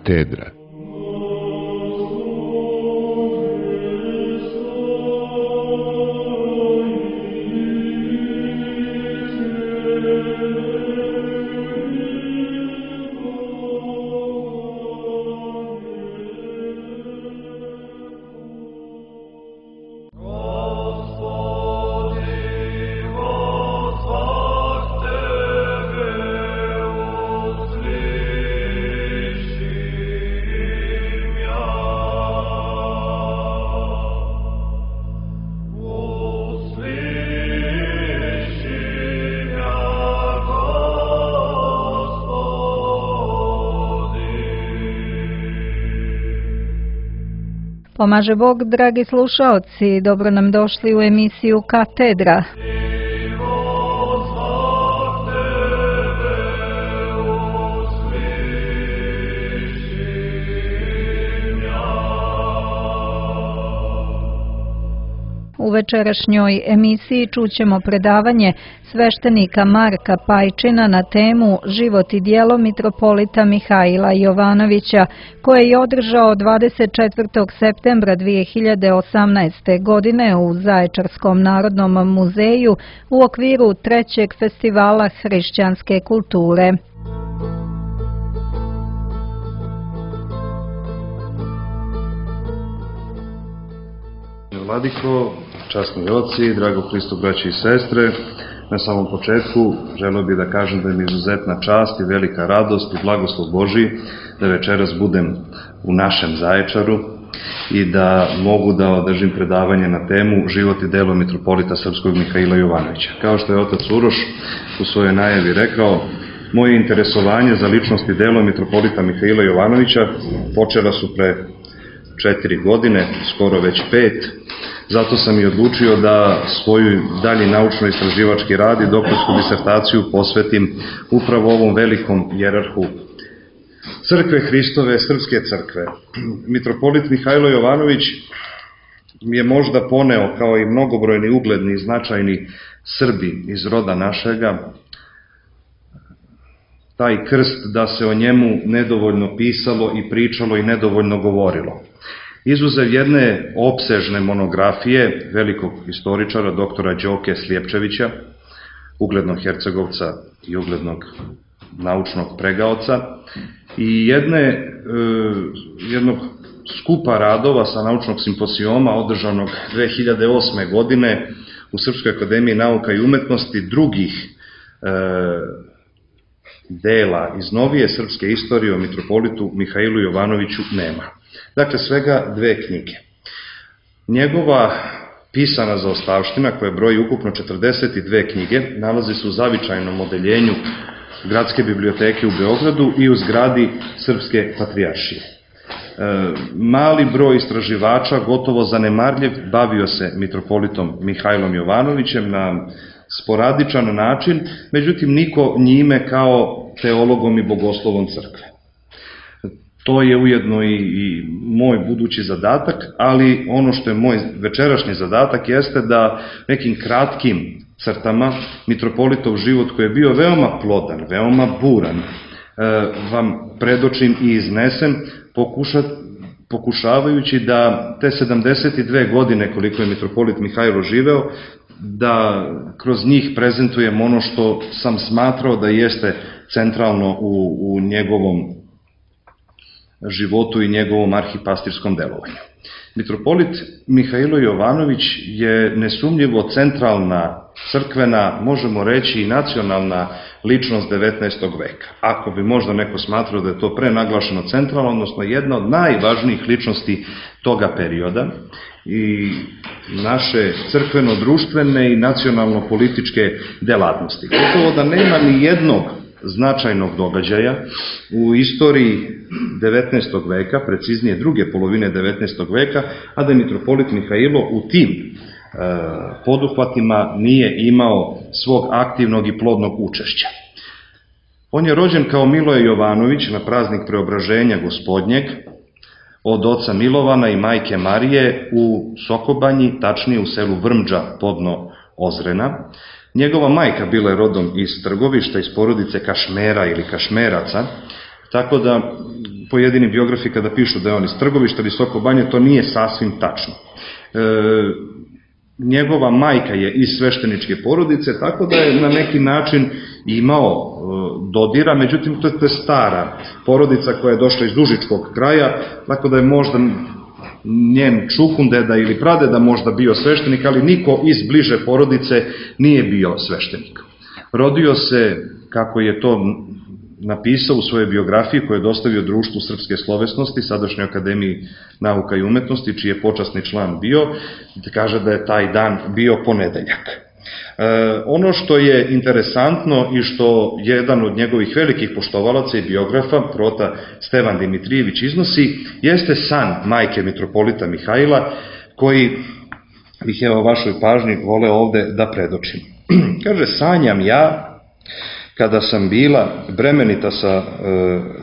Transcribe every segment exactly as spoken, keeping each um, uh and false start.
Katedra. Pomaže Bog, dragi slušaoci, dobro nam došli u emisiju Katedra. U večerašnjoj emisiji čućemo predavanje sveštenika Marka Pajčina na temu Život i djelo mitropolita Mihajla Jovanovića, koje je održao dvadeset četvrtog septembra dvije hiljade osamnaeste. godine u Zaječarskom narodnom muzeju u okviru trećeg festivala hrišćanske kulture. Vladiko, časni oci, drago Hristo, braći i sestre, na samom početku želeo bih da kažem da mi je izuzetna čast i velika radost i blagoslov Božji da večeras budem u našem Zaječaru i da mogu da održim predavanje na temu Život i delo mitropolita srpskog Mihajla Jovanovića. Kao što je otac Uroš u svojoj najavi rekao, moje interesovanje za ličnost i delo mitropolita Mihajla Jovanovića počela su pre četiri godine, skoro već pet. Zato sam i odlučio da svoju dalji naučno-istraživački rad i doktorsku disertaciju posvetim upravo ovom velikom jerarhu Crkve Hristove, Srpske crkve. Mitropolit Mihajlo Jovanović je možda poneo, kao i mnogobrojni ugledni i značajni Srbi iz roda našega, taj krst da se o njemu nedovoljno pisalo i pričalo i nedovoljno govorilo. Izuzev jedne opsežne monografije velikog istoričara, doktora Đoke Slijepčevića, uglednog hercegovca i uglednog naučnog pregaoca, i jedne, e, jednog skupa radova sa naučnog simposijoma održanog dve hiljade osme. godine u Srpskoj akademiji nauka i umetnosti, drugih e, dela iz novije srpske istorije o mitropolitu Mihajlu Jovanoviću nema. Dakle, svega dve knjige. Njegova pisana zaostavština, koja broji ukupno četrdeset dve knjige, nalazi se u zavičajnom odeljenju Gradske biblioteke u Beogradu i u zgradi Srpske patrijaršije. E, mali broj istraživača, gotovo zanemarljiv, bavio se mitropolitom Mihajlom Jovanovićem na sporadičan način, međutim niko njime kao teologom i bogoslovom crkve. To je ujedno i, i moj budući zadatak, ali ono što je moj večerašnji zadatak jeste da nekim kratkim crtama mitropolitov život, koji je bio veoma plodan, veoma buran, e, vam predočim i iznesem, pokuša, pokušavajući da te sedamdeset dve godine koliko je mitropolit Mihajlo živeo, da kroz njih prezentujem ono što sam smatrao da jeste centralno u, u njegovom životu i njegovom arhipastirskom delovanju. Mitropolit Mihajlo Jovanović je nesumnjivo centralna, crkvena, možemo reći i nacionalna ličnost devetnaestog veka. Ako bi možda neko smatrao da je to prenaglašeno centralno, odnosno jedna od najvažnijih ličnosti toga perioda i naše crkveno-društvene i nacionalno-političke delatnosti. Gotovo da nema ni jednog značajnog događaja u istoriji devetnaestog veka, preciznije druge polovine devetnaestog veka, a da mitropolit Mihajlo u tim e, poduhvatima nije imao svog aktivnog i plodnog učešća. On je rođen kao Miloje Jovanović na praznik Preobraženja Gospodnjeg od oca Milovana i majke Marije u Sokobanji, tačnije u selu Vrmđa podno Ozrena. Njegova majka bila je rodom iz Trgovišta, iz porodice Kašmera ili Kašmeraca, tako da pojedini biografi kada pišu da je on iz Trgovišta ili Soko Banje, to nije sasvim tačno. Njegova majka je iz svešteničke porodice, tako da je na neki način imao dodira, međutim to je stara porodica koja je došla iz Užičkog kraja, tako da je možda njen čukundeda ili pradeda možda bio sveštenik, ali niko iz bliže porodice nije bio sveštenik. Rodio se, kako je to napisao u svojoj biografiji koju je dostavio Društvu srpske slovesnosti, sadašnjoj Akademiji nauka i umetnosti, čiji je počasni član bio, kaže da je taj dan bio ponedeljak. E, ono što je interesantno i što jedan od njegovih velikih poštovalaca i biografa, prota Stevan Dimitrijević, iznosi, jeste san majke mitropolita Mihajla, koji bih evo vašoj pažnji voleo ovde da predočim. Kaže, sanjam ja, kada sam bila bremenita sa, e,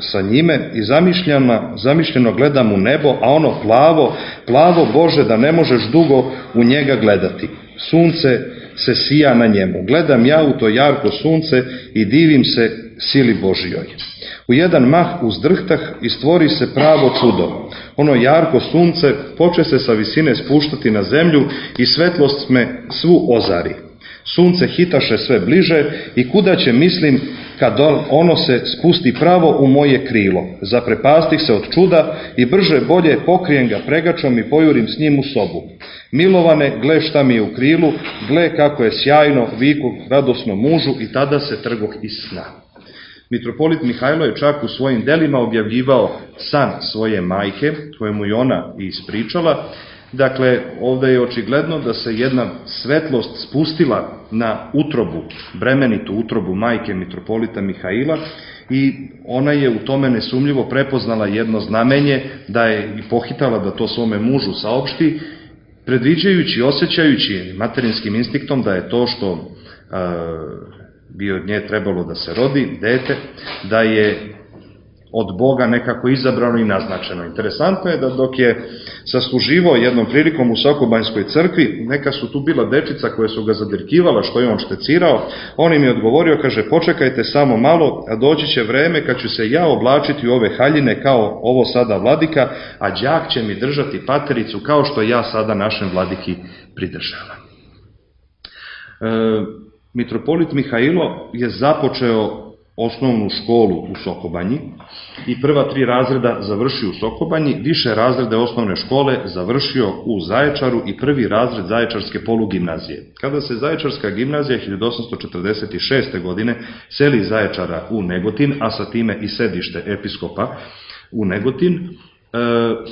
sa njime i zamišljena, zamišljeno gledam u nebo, a ono plavo, plavo Bože da ne možeš dugo u njega gledati. Sunce se sija na njemu. Gledam ja u to jarko sunce i divim se sili Božijoj. U jedan mah uzdrhtah i stvori se pravo čudo. Ono jarko sunce poče se sa visine spuštati na zemlju i svetlost me svu ozari. Sunce hitaše sve bliže i kuda će, mislim, kad ono se spusti pravo u moje krilo. Zaprepastih se od čuda i brže bolje pokrijem ga pregačom i pojurim s njim u sobu. Milovane, gle šta mi je u krilu, gle kako je sjajno, viku radosno mužu i tada se trgoh iz sna. Mitropolit Mihajlo je čak u svojim delima objavljivao san svoje majke, kojemu je ona ispričala. Dakle, ovde je očigledno da se jedna svetlost spustila na utrobu, bremenitu utrobu majke mitropolita Mihajla i ona je u tome nesumljivo prepoznala jedno znamenje da je i pohitala da to svome mužu saopšti, predviđajući, osjećajući materinskim instinktom da je to što e, bi od nje trebalo da se rodi, dete, da je od Boga nekako izabrano i naznačeno. Interesantno je da dok je sasluživao jednom prilikom u Sokobanjskoj crkvi, neka su tu bila dečica koje su ga zadirkivala što je on štecirao, on im je odgovorio, kaže, počekajte samo malo, a doći će vreme kad ću se ja oblačiti u ove haljine kao ovo sada vladika, a đak će mi držati patericu kao što ja sada našem vladiki pridržavam. E, mitropolit Mihajlo je započeo osnovnu školu u Sokobanji i prva tri razreda završio u Sokobanji, više razrede osnovne škole završio u Zaječaru i prvi razred Zaječarske polugimnazije. Kada se Zaječarska gimnazija hiljadu osamsto četrdeset šeste. godine seli iz Zaječara u Negotin, a sa time i sedište episkopa u Negotin,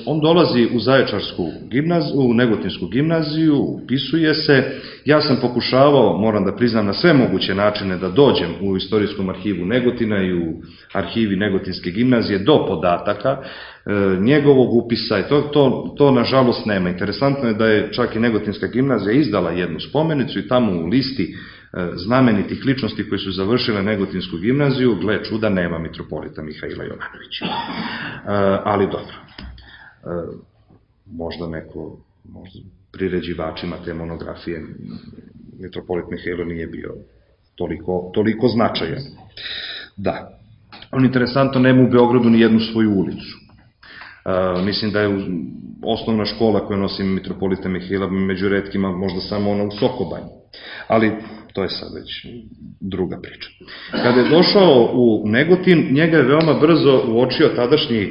on dolazi u Zaječarsku gimnaziju, u Negotinsku gimnaziju, upisuje se. Ja sam pokušavao, moram da priznam, na sve moguće načine da dođem u istorijskom arhivu Negotina i u arhivi Negotinske gimnazije do podataka njegovog upisa i to, to, to nažalost nema. Interesantno je da je čak i Negotinska gimnazija izdala jednu spomenicu i tamo u listi znamenitih ličnosti koji su završile Negotinsku gimnaziju, gle čuda, nema mitropolita Mihajla Jovanovića. Ali dobro, možda neko, možda priređivačima te monografije, mitropolit Mihajlo nije bio toliko, toliko značajan. Da, on interesantno nema u Beogradu ni jednu svoju ulicu. Mislim da je osnovna škola koju nosi mitropolita Mihajla među retkima možda samo ona u Sokobanji. Ali to je sad već druga priča. Kada je došao u Negotin, njega je veoma brzo uočio tadašnji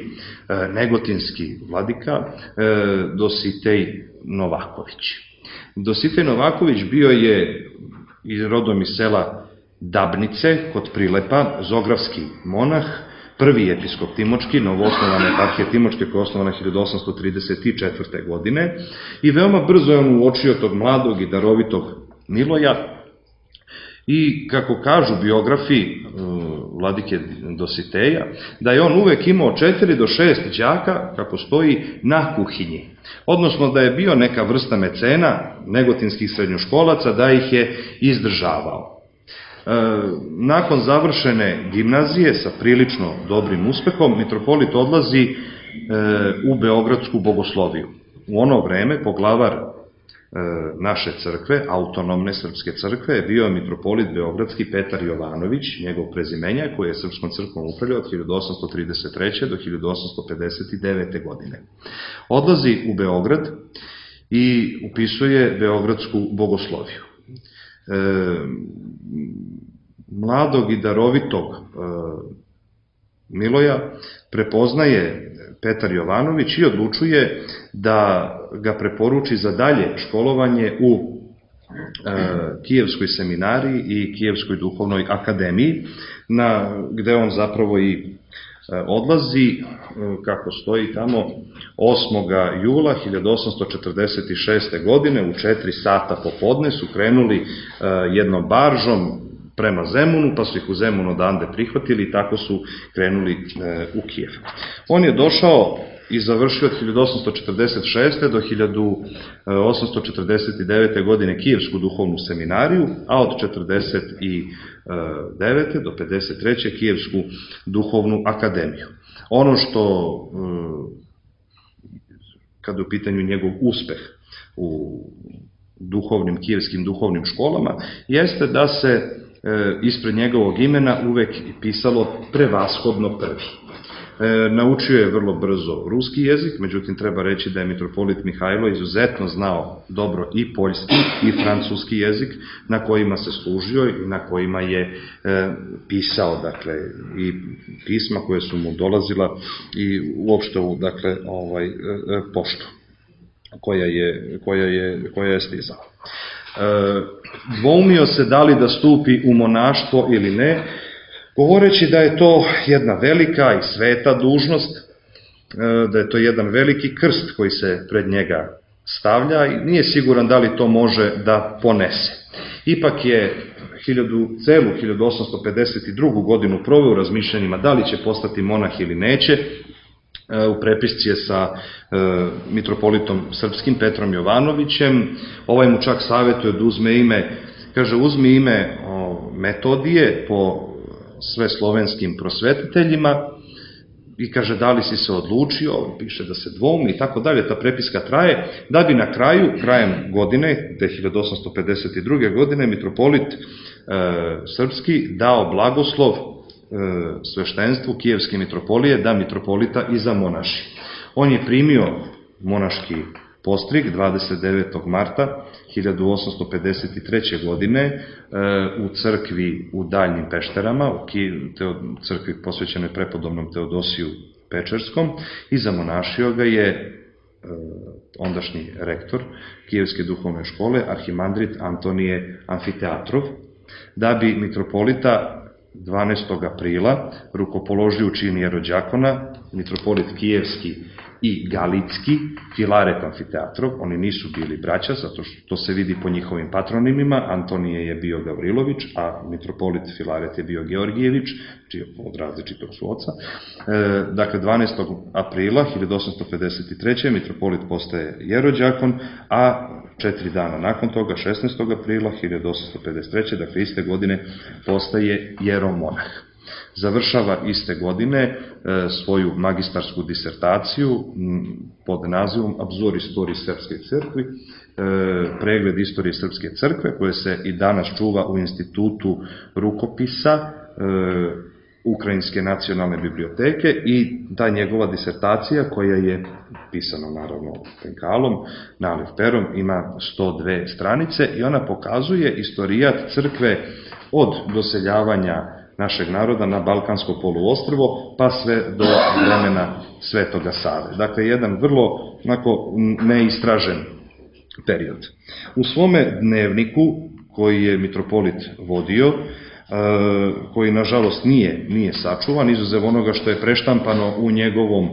negotinski vladika Dositej Novaković. Dositej Novaković bio je rodom iz sela Dabnice kod Prilepa, zografski monah, prvi episkop Timočki, novoosnovane eparhije Timočke koja je osnovana hiljadu osamsto trideset četvrte. godine i veoma brzo je on uočio tog mladog i darovitog Miloja i kako kažu biografi vladike Dositeja, da je on uvek imao četiri do šest đaka, kako stoji, na kuhinji. Odnosno da je bio neka vrsta mecena negotinskih srednjoškolaca, da ih je izdržavao. Nakon završene gimnazije sa prilično dobrim uspehom, mitropolit odlazi u Beogradsku bogosloviju. U ono vreme poglavar naše crkve, autonomne srpske crkve, je bio mitropolit beogradski Petar Jovanović, njegov prezimenjak, koji je srpskom crkvom upravljao od hiljadu osamsto trideset treće do hiljadu osamsto pedeset devete. godine. Odlazi u Beograd i upisuje beogradsku bogosloviju. E, mladog i darovitog e, Miloja prepoznaje Petar Jovanović i odlučuje da ga preporuči za dalje školovanje u e, Kijevskoj seminariji i Kijevskoj duhovnoj akademiji, na, gde on zapravo i e, odlazi, e, kako stoji tamo, osmog jula hiljadu osamsto četrdeset šeste. godine u četiri sata popodne su krenuli e, jednom baržom prema Zemunu, pa su ih u Zemunu odande prihvatili i tako su krenuli e, u Kijev. On je došao i završio od hiljadu osamsto četrdeset šeste. do hiljadu osamsto četrdeset devete. godine Kijevsku duhovnu seminariju, a od četrdeset devete. do pedeset treće. Kijevsku duhovnu akademiju. Ono što, e, kada je u pitanju njegov uspeh u duhovnim, kijevskim duhovnim školama, jeste da se ispred njegovog imena uvek pisalo prevashodno prvi. E, naučio je vrlo brzo ruski jezik, međutim treba reći da je mitropolit Mihajlo izuzetno znao dobro i poljski i francuski jezik, na kojima se služio i na kojima je e, pisao, dakle, i pisma koje su mu dolazila i uopšte u, dakle, ovaj, e, poštu koja je, koja je, koja je stizala. E, dvoumio se da li da stupi u monaštvo ili ne, govoreći da je to jedna velika i sveta dužnost, e, da je to jedan veliki krst koji se pred njega stavlja i nije siguran da li to može da ponese. Ipak je hiljadu, celu hiljadu osamsto pedeset drugu. godinu proveo u razmišljanjima da li će postati monah ili neće. U prepisci je sa e, mitropolitom srpskim Petrom Jovanovićem. Ovaj mu čak savjetuje da uzme ime, kaže uzmi ime o, Metodije po sve slovenskim prosvetiteljima i kaže da li si se odlučio, piše da se dvoumi i tako dalje. Ta prepiska traje, da bi na kraju, krajem godine, te hiljadu osamsto pedeset druge. godine, mitropolit e, srpski dao blagoslov sveštenstvu Kijevske mitropolije da mitropolita i zamonaši. On je primio monaški postrig dvadeset devetog marta hiljadu osamsto pedeset treće. godine u crkvi u Daljnim Pešterama, u crkvi posvećenoj prepodobnom Teodosiju Pečerskom, i zamonašio ga je ondašnji rektor Kijevske duhovne škole, arhimandrit Antonije Amfiteatrov, da bi mitropolita dvanaestog aprila rukopoložio u čin jerođakona mitropolit Kijevski i Galitski, Filaret Amfiteatrov. Oni nisu bili braća, zato što to se vidi po njihovim patronimima. Antonije je bio Gavrilović, a mitropolit Filaret je bio Georgijević, čiji od različitog su oca. E, dakle, dvanaestog aprila hiljadu osamsto pedeset treće. mitropolit postaje jerođakon, a četiri dana nakon toga, šesnaestog aprila hiljadu osamsto pedeset treće. dakle iste godine, postaje jeromonah. Završava iste godine e, svoju magistarsku disertaciju pod nazivom Abzor istorije Srpske crkve, e, pregled istorije Srpske crkve, koje se i danas čuva u Institutu rukopisa e, Ukrajinske nacionalne biblioteke, i ta njegova disertacija, koja je pisana naravno penkalom, naliv perom, ima sto dve stranice i ona pokazuje istorijat crkve od doseljavanja našeg naroda na Balkansko poluostrvo pa sve do vremena Svetoga Save. Dakle, jedan vrlo onako neistražen period. U svome dnevniku koji je mitropolit vodio, koji nažalost nije, nije sačuvan, izuzev onoga što je preštampano u njegovom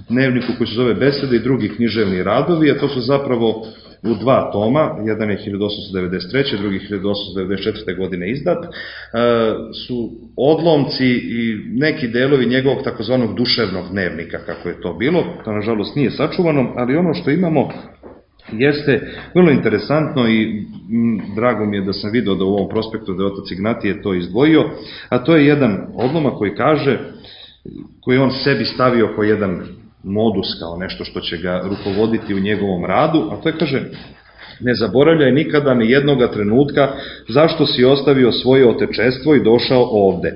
dnevniku koji se zove Besede i drugi književni radovi, a to su zapravo u dva toma, jedan je hiljadu osamsto devedeset treće. drugi hiljadu osamsto devedeset četvrte. godine izdat, su odlomci i neki delovi njegovog takozvanog duševnog dnevnika, kako je to bilo. To nažalost nije sačuvano, ali ono što imamo jeste vrlo interesantno i drago mi je da sam video da u ovom prospektu da je otac Ignatije to izdvojio, a to je jedan odlomak koji kaže, koji on sebi stavio kao jedan modus, kao nešto što će ga rukovoditi u njegovom radu, a to je, kaže, ne zaboravljaj nikada ni jednoga trenutka zašto si ostavio svoje otečestvo i došao ovde.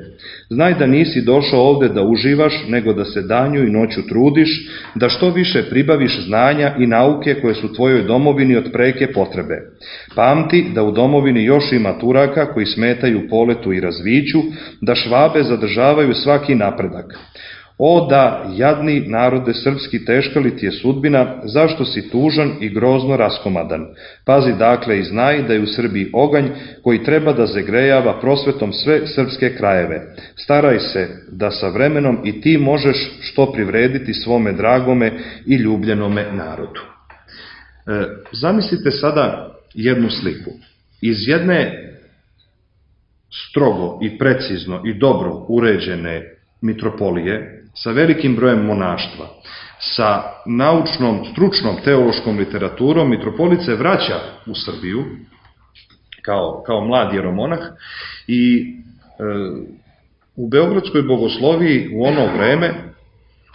Znaj da nisi došao ovde da uživaš, nego da se danju i noću trudiš, da što više pribaviš znanja i nauke koje su tvojoj domovini od preke potrebe. Pamti da u domovini još ima Turaka koji smetaju poletu i razviću, da Švabe zadržavaju svaki napredak. O da, jadni narode srpski, teška li ti je sudbina, zašto si tužan i grozno raskomadan? Pazi dakle i znaj da je u Srbiji oganj koji treba da zagrejava prosvetom sve srpske krajeve. Staraj se da sa vremenom i ti možeš što privrediti svome dragome i ljubljenome narodu. E, zamislite sada jednu sliku. Iz jedne strogo i precizno i dobro uređene mitropolije, sa velikim brojem monaštva, sa naučnom, stručnom, teološkom literaturom, mitropolit se vraća u Srbiju kao, kao mlad jeromonah i e, u Beogradskoj bogosloviji u ono vreme,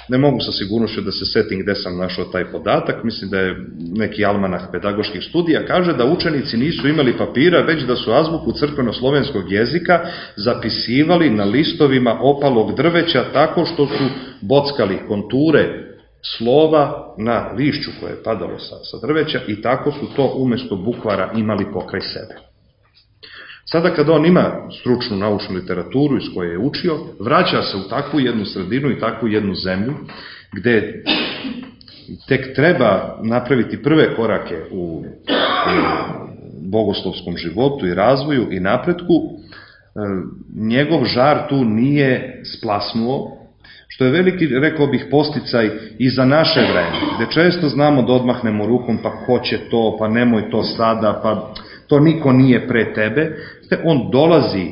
ne mogu sa sigurnošću da se setim gde sam našao taj podatak, mislim da je neki almanah pedagoških studija, kaže da učenici nisu imali papira, već da su azbuku crkveno-slovenskog jezika zapisivali na listovima opalog drveća tako što su bockali konture slova na lišću koje je padalo sa, sa drveća i tako su to umesto bukvara imali pokraj sebe. Sada kada on ima stručnu naučnu literaturu iz koje je učio, vraća se u takvu jednu sredinu i takvu jednu zemlju gde tek treba napraviti prve korake u bogoslovskom životu i razvoju i napretku. Njegov žar tu nije splasnuo, što je veliki, rekao bih, posticaj i za naše vreme, gde često znamo da odmahnemo rukom, pa ko će to, pa nemoj to sada, pa to niko nije pre tebe. On dolazi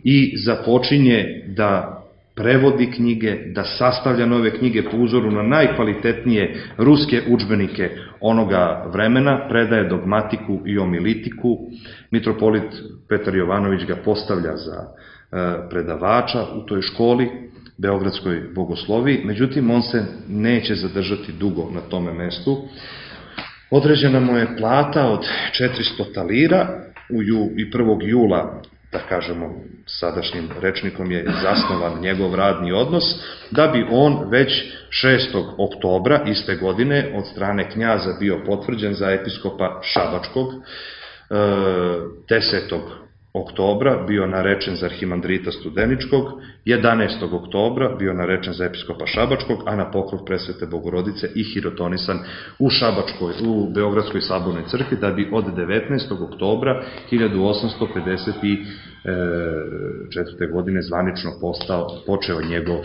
i započinje da prevodi knjige, da sastavlja nove knjige po uzoru na najkvalitetnije ruske udžbenike onoga vremena, predaje dogmatiku i omilitiku. Mitropolit Petar Jovanović ga postavlja za predavača u toj školi, Beogradskoj bogosloviji, međutim on se neće zadržati dugo na tome mestu. Određena mu je plata od četiristo talira i prvog jula, da kažemo sadašnjim rečnikom je zasnovan njegov radni odnos, da bi on već šestog oktobra iste godine od strane knjaza bio potvrđen za episkopa Šabačkog, desetog oktobra bio narečen za arhimandrita Studeničkog, jedanaestog oktobra bio narečen za episkopa Šabačkog, a na pokrov Presvete Bogorodice i hirotonisan u Šabačkoj, u Beogradskoj sabornoj crkvi, da bi od devetnaestog oktobra hiljadu osamsto pedeset četvrte. godine zvanično postao, počeo njegov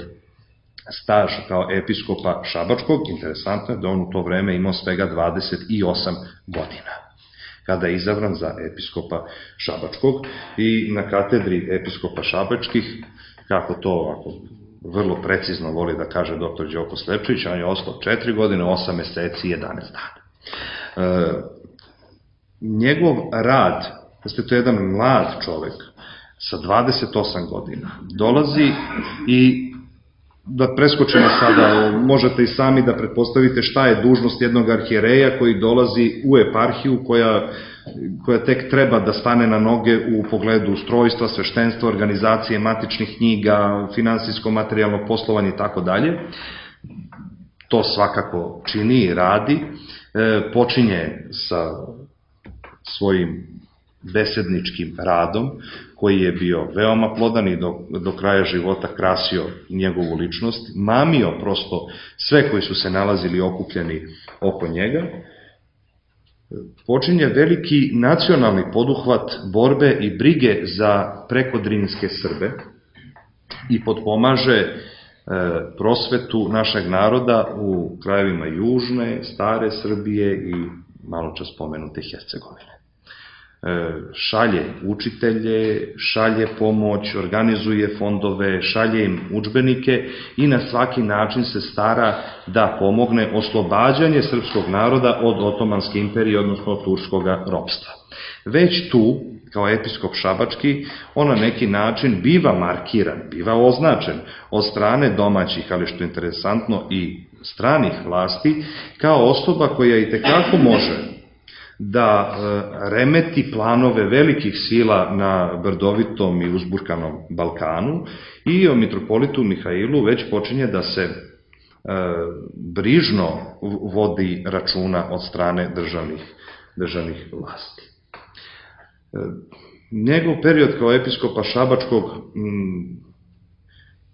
staž kao episkopa Šabačkog. Interesantno je da on u to vreme imao svega dvadeset osam godina kada je izabran za episkopa Šabačkog i na katedri episkopa Šabačkih, kako to ovako vrlo precizno voli da kaže doktor Đoko Slepčević, on je ostao četiri godine, osam meseci i jedanaest dana. E, njegov rad, jeste to jedan mlad čovek sa dvadeset osam godina, dolazi i da preskočimo sada, možete i sami da pretpostavite šta je dužnost jednog arhijereja koji dolazi u eparhiju koja, koja tek treba da stane na noge u pogledu ustrojstva, sveštenstva, organizacije matičnih knjiga, finansijsko, materijalno poslovanje i tako dalje. To svakako čini i radi. E, počinje sa svojim besedničkim radom, koji je bio veoma plodan i do, do kraja života krasio njegovu ličnost, mamio prosto sve koji su se nalazili okupljeni oko njega. Počinje veliki nacionalni poduhvat borbe i brige za prekodrinske Srbe i potpomaže e, prosvetu našeg naroda u krajevima južne, stare Srbije i malo čas spomenute Hercegovine. Šalje učitelje, šalje pomoć, organizuje fondove, šalje im udžbenike i na svaki način se stara da pomogne oslobađanje srpskog naroda od Otomanske imperije, odnosno od turskog ropstva. Već tu, kao episkop Šabački, on na neki način biva markiran, biva označen od strane domaćih, ali što je interesantno i stranih vlasti, kao osoba koja i tekako može da remeti planove velikih sila na brdovitom i uzburkanom Balkanu i o mitropolitu Mihailu već počinje da se brižno vodi računa od strane državnih, državnih vlasti. Njegov period kao episkopa Šabačkog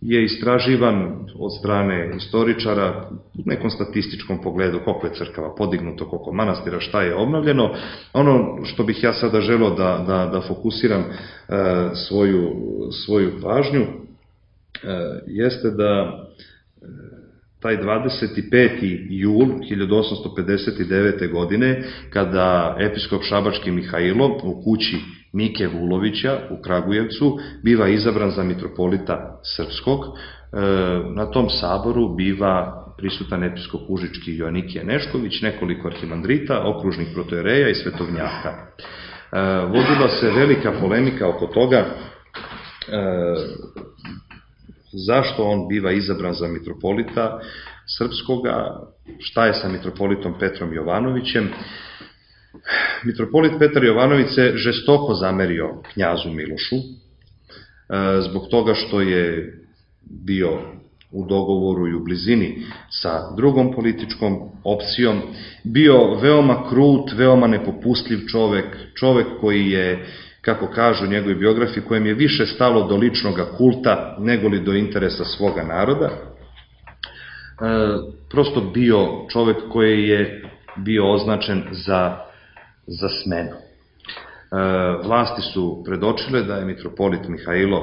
je istraživan od strane istoričara u nekom statističkom pogledu, koliko je crkava podignuto, koliko manastira, šta je obnovljeno. Ono što bih ja sada želeo da, da, da fokusiram e, svoju, svoju pažnju e, jeste da taj dvadeset peti jul hiljadu osamsto pedeset devete. godine, kada episkop Šabački Mihailo u kući Mike Vulovića u Kragujevcu biva izabran za mitropolita srpskog, na tom saboru biva prisutan episkop Užički Joanikije Nešković, nekoliko arhimandrita, okružnih protojereja i svetovnjaka. Vodila se velika polemika oko toga zašto on biva izabran za mitropolita srpskoga, šta je sa mitropolitom Petrom Jovanovićem. Mitropolit Petar Jovanović se žestoko zamerio knjazu Milošu, zbog toga što je bio u dogovoru i u blizini sa drugom političkom opcijom, bio veoma krut, veoma nepopustljiv čovek, čovek koji je, kako kažu u njegovoj biografiji, kojem je više stalo do ličnog kulta nego li do interesa svoga naroda. Prosto bio čovek koji je bio označen za, za smenu. Vlasti su predočile da je mitropolit Mihailo,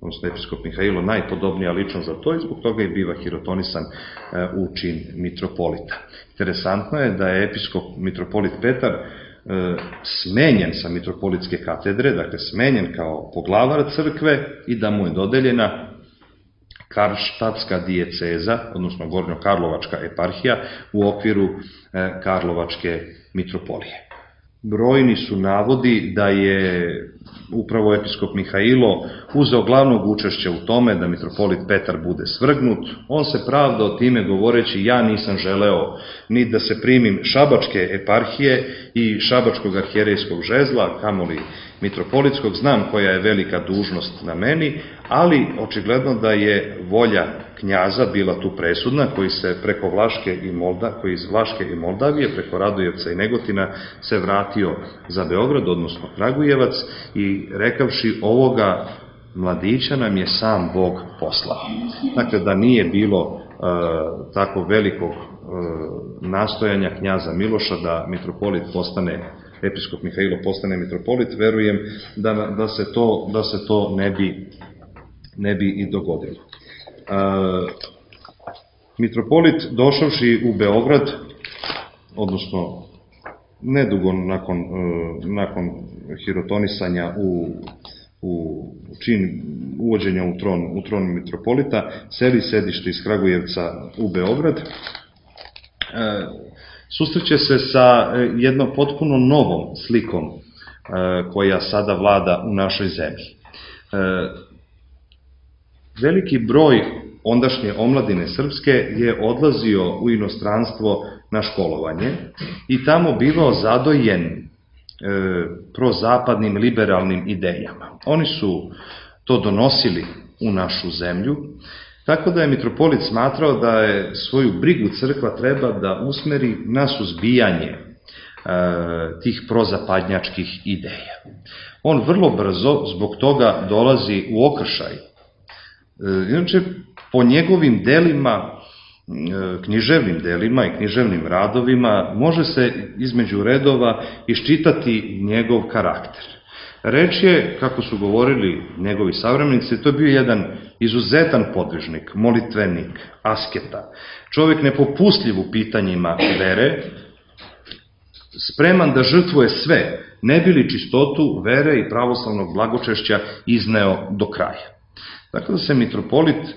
odnosno episkop Mihailo, najpodobnija ličnost za to i zbog toga je biva hirotonisan u čin mitropolita. Interesantno je da je episkop mitropolit Petar smenjen sa mitropolitske katedre, dakle smenjen kao poglavar crkve i da mu je dodeljena Karlštadtska dijeceza, odnosno Gornjo-Karlovačka eparhija u okviru Karlovačke mitropolije. Brojni su navodi da je upravo episkop Mihailo uzeo glavnog učešća u tome da mitropolit Petar bude svrgnut. On se pravdao time govoreći: ja nisam želeo ni da se primim Šabačke eparhije i Šabačkog arhijerejskog žezla, kamoli mitropolitskog, znam koja je velika dužnost na meni, ali očigledno da je volja knjaza bila tu presudna, koji se preko Vlaške i Molda, koji iz Vlaške i Moldavije, preko Radujevca i Negotina se vratio za Beograd, odnosno Kragujevac, i rekavši: ovoga mladića nam je sam Bog poslao. Dakle, da nije bilo e, tako velikog e, nastojanja knjaza Miloša da mitropolit postane, episkop Mihailo postane mitropolit, verujem da, da, se, to, da se to ne bi, ne bi i dogodilo. E, mitropolit došavši u Beograd, odnosno nedugo nakon, nakon hirotonisanja u, u čin uvođenja u tron, u tron mitropolita, seli sedište iz Kragujevca u Beograd, susreće se sa jednom potpuno novom slikom koja sada vlada u našoj zemlji. Veliki broj ondašnje omladine srpske je odlazio u inostranstvo na školovanje i tamo bivao zadojen e, prozapadnim liberalnim idejama. Oni su to donosili u našu zemlju, tako da je mitropolit smatrao da je svoju brigu crkva treba da usmeri na suzbijanje e, tih prozapadnjačkih ideja. On vrlo brzo zbog toga dolazi u okršaj. E, inače, po njegovim delima, književnim delima i književnim radovima, može se između redova iščitati njegov karakter. Reč je, kako su govorili njegovi savremenici, to je bio jedan izuzetan podvižnik, molitvenik, asketa, čovjek nepopustljiv u pitanjima vere, spreman da žrtvuje sve, ne bi li čistotu vere i pravoslavnog blagočešća izneo do kraja. Tako da se mitropolit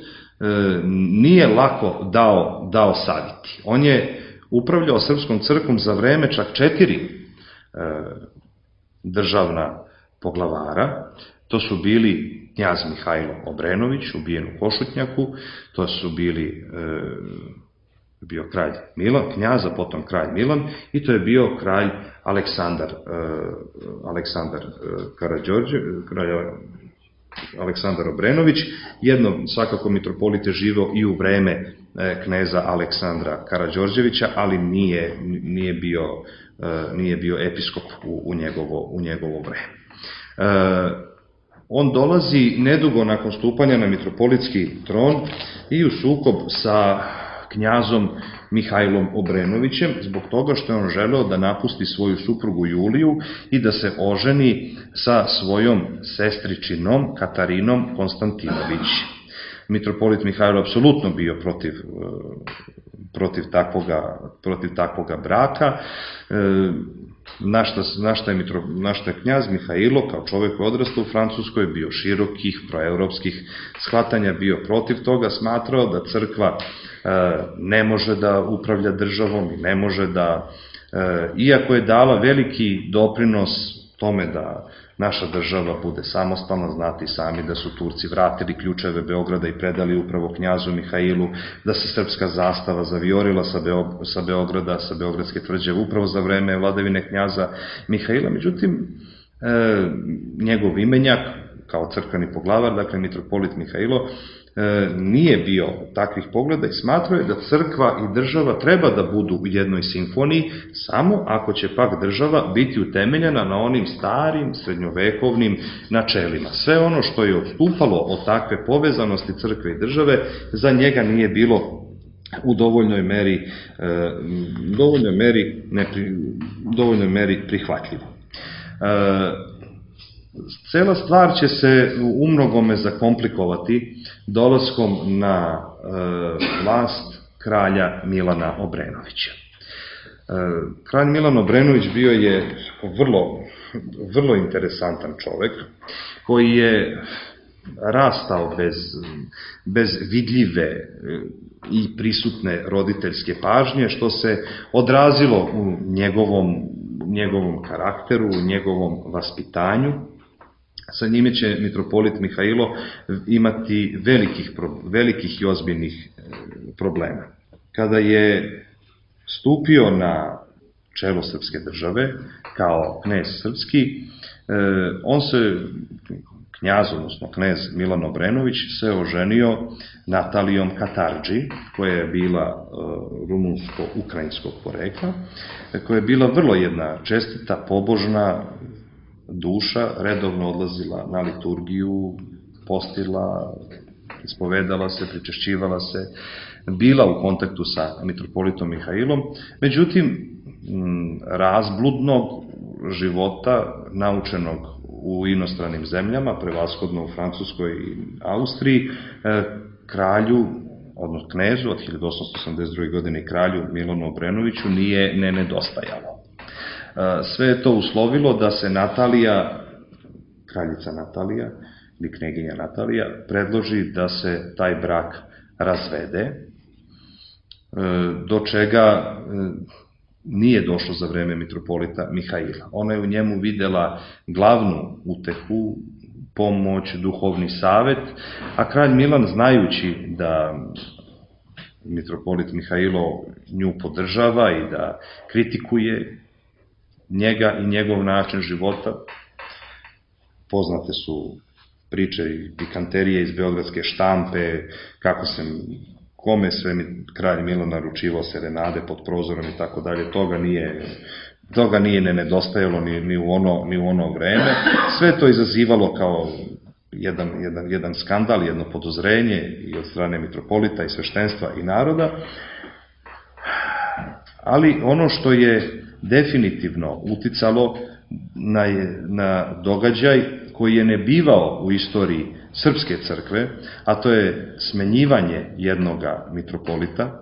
nije lako dao, dao saviti. On je upravljao srpskom crkvom za vreme čak četiri e, državna poglavara. To su bili knjaz Mihajlo Obrenović, ubijen u Košutnjaku, to su bili e, bio kralj Milan, knjaz, a potom kralj Milan, i to je bio kralj Aleksandar, Aleksandar Karađorđe, kralj Aleksandar Obrenović. Jedno, svakako, mitropolit je živeo i u vreme kneza Aleksandra Karađorđevića, ali nije, nije, bio, nije bio episkop u, u, njegovo, u njegovo vreme. On dolazi nedugo nakon stupanja na mitropolitski tron i u sukob sa knjazom Mihajlom Obrenovićem, zbog toga što je on želeo da napusti svoju suprugu Juliju i da se oženi sa svojom sestričinom Katarinom Konstantinović. Mitropolit Mihajlo apsolutno bio protiv, protiv, takvoga, protiv takvoga braka. Na šta, na, šta je mitro, na šta je knjaz Mihajlo, kao čovjek koji je odrastao u Francuskoj, bio širokih, proevropskih shvatanja, bio protiv toga, smatrao da crkva e, ne može da upravlja državom i ne može da, e, iako je dala veliki doprinos tome da naša država bude samostalna, znati sami da su Turci vratili ključeve Beograda i predali upravo knjazu Mihajlu, da se srpska zastava zavijorila sa, Beo, sa Beograda, sa Beogradske tvrđave, upravo za vreme vladavine knjaza Mihajla. Međutim, e, njegov imenjak, kao crkveni poglavar, dakle mitropolit Mihajlo, e, nije bio takvih pogleda i smatrao je da crkva i država treba da budu u jednoj simfoniji, samo ako će pak država biti utemeljena na onim starim, srednjovekovnim načelima. Sve ono što je odstupalo od takve povezanosti crkve i države, za njega nije bilo u dovoljnoj meri, e, dovoljnoj meri, nepri, dovoljnoj meri prihvatljivo. E, Cela stvar će se umnogome zakomplikovati dolaskom na e, vlast kralja Milana Obrenovića. E, kralj Milan Obrenović bio je vrlo, vrlo interesantan čovek koji je rastao bez, bez vidljive i prisutne roditeljske pažnje, što se odrazilo u njegovom, njegovom karakteru, u njegovom vaspitanju. Sa njime će mitropolit Mihajlo imati velikih, velikih i ozbiljnih problema. Kada je stupio na čelo srpske države kao knez srpski, on se, knjaz, odnosno knez Milan Obrenović, se oženio Natalijom Katardži, koja je bila rumunsko-ukrajinskog porekla, koja je bila vrlo jedna čestita, pobožna duša, redovno odlazila na liturgiju, postila, ispovedala se, pričešćivala se, bila u kontaktu sa mitropolitom Mihajlom. Međutim, razbludnog života, naučenog u inostranim zemljama, prevashodno u Francuskoj i Austriji, kralju, odnosno knezu od hiljadu osamsto osamdeset druge. godine kralju Milanu Obrenoviću nije ne nedostajalo. Sve je to uslovilo da se Natalija, kraljica Natalija ili kneginja Natalija, predloži da se taj brak razvede, do čega nije došlo za vreme mitropolita Mihajla. Ona je u njemu videla glavnu utehu, pomoć, duhovni savet, a kralj Milan, znajući da mitropolit Mihajlo nju podržava i da kritikuje njega i njegov način života, poznate su priče i pikanterije iz beogradske štampe, kako se, kome sve kralj Milan naručivao serenade pod prozorom i tako dalje, toga nije, toga nije ne nedostajalo ni, ni, u ono, ni u ono vreme. Sve to izazivalo kao jedan, jedan, jedan skandal, jedno podozrenje i od strane mitropolita i sveštenstva i naroda, ali ono što je definitivno uticalo na, na događaj koji je ne bivao u istoriji srpske crkve, a to je smenjivanje jednoga mitropolita,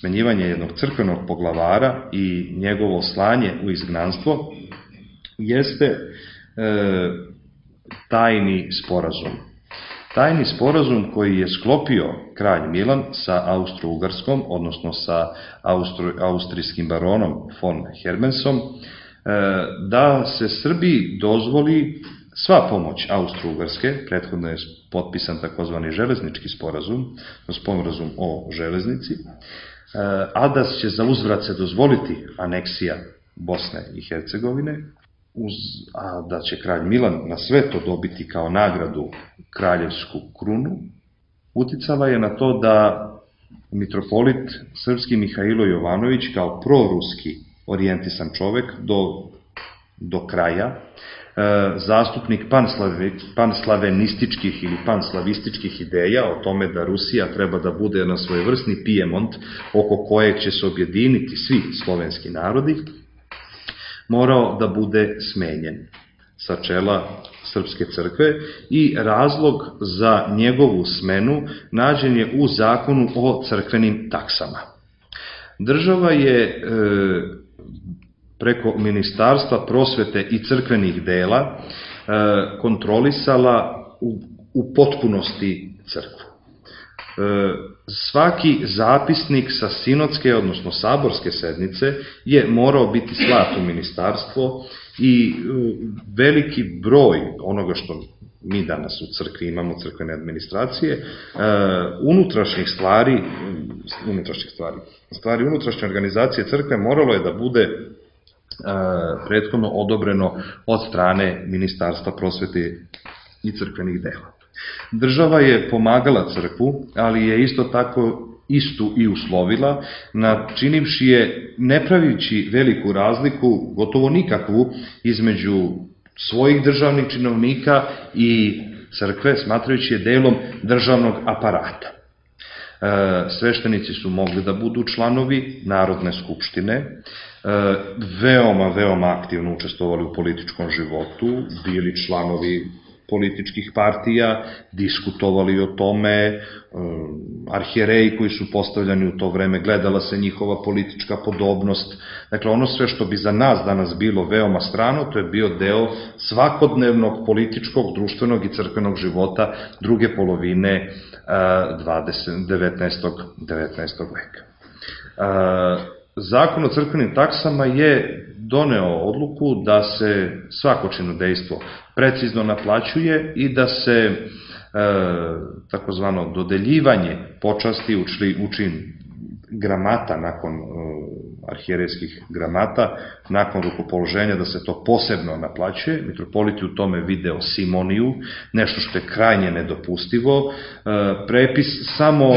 smenjivanje jednog crkvenog poglavara i njegovo slanje u izgnanstvo, jeste e, tajni sporazum. Tajni sporazum koji je sklopio kralj Milan sa Austro-Ugarskom, odnosno sa Austro, austrijskim baronom von Hermansom, da se Srbiji dozvoli sva pomoć Austro-Ugarske, prethodno je potpisan takozvani železnički sporazum, sporazum o železnici, a da će za uzvrat se dozvoliti aneksija Bosne i Hercegovine, a da će kralj Milan na sve to dobiti kao nagradu kraljevsku krunu, uticala je na to da mitropolit srpski Mihailo Jovanović kao proruski orijentisan čovek do, do kraja, zastupnik panslavenističkih ili panslavističkih ideja o tome da Rusija treba da bude na svojevrsni Pijemont oko kojeg će se objediniti svi slovenski narodi, morao da bude smenjen sa čela Srpske crkve i razlog za njegovu smenu nađen je u zakonu o crkvenim taksama. Država je e, preko Ministarstva prosvete i crkvenih dela e, kontrolisala u, u potpunosti crkvu. E, svaki zapisnik sa sinodske, odnosno saborske sednice je morao biti slat u ministarstvo i veliki broj onoga što mi danas u crkvi imamo, crkvene administracije, unutrašnjih stvari, unutrašnjih stvari, stvari unutrašnje organizacije crkve moralo je da bude prethodno odobreno od strane Ministarstva prosvete i crkvenih dela. Država je pomagala crkvu, ali je isto tako istu i uslovila, načinivši je, ne pravići veliku razliku, gotovo nikakvu, između svojih državnih činovnika i crkve, smatrajući je delom državnog aparata. Sveštenici su mogli da budu članovi Narodne skupštine, veoma, veoma aktivno učestvovali u političkom životu, bili članovi političkih partija, diskutovali o tome, arhijereji koji su postavljani u to vreme, gledala se njihova politička podobnost. Dakle, ono sve što bi za nas danas bilo veoma strano, to je bio deo svakodnevnog političkog, društvenog i crkvenog života druge polovine devetnaestog veka. Zakon o crkvenim taksama je doneo odluku da se svako činodejstvo precizno naplaćuje i da se e, takozvano dodeljivanje počasti u čin gramata nakon e, arhijerejskih gramata, nakon rukopoloženja, da se to posebno naplaćuje. Mitropolit je u tome video simoniju, nešto što je krajnje nedopustivo. Prepis, samo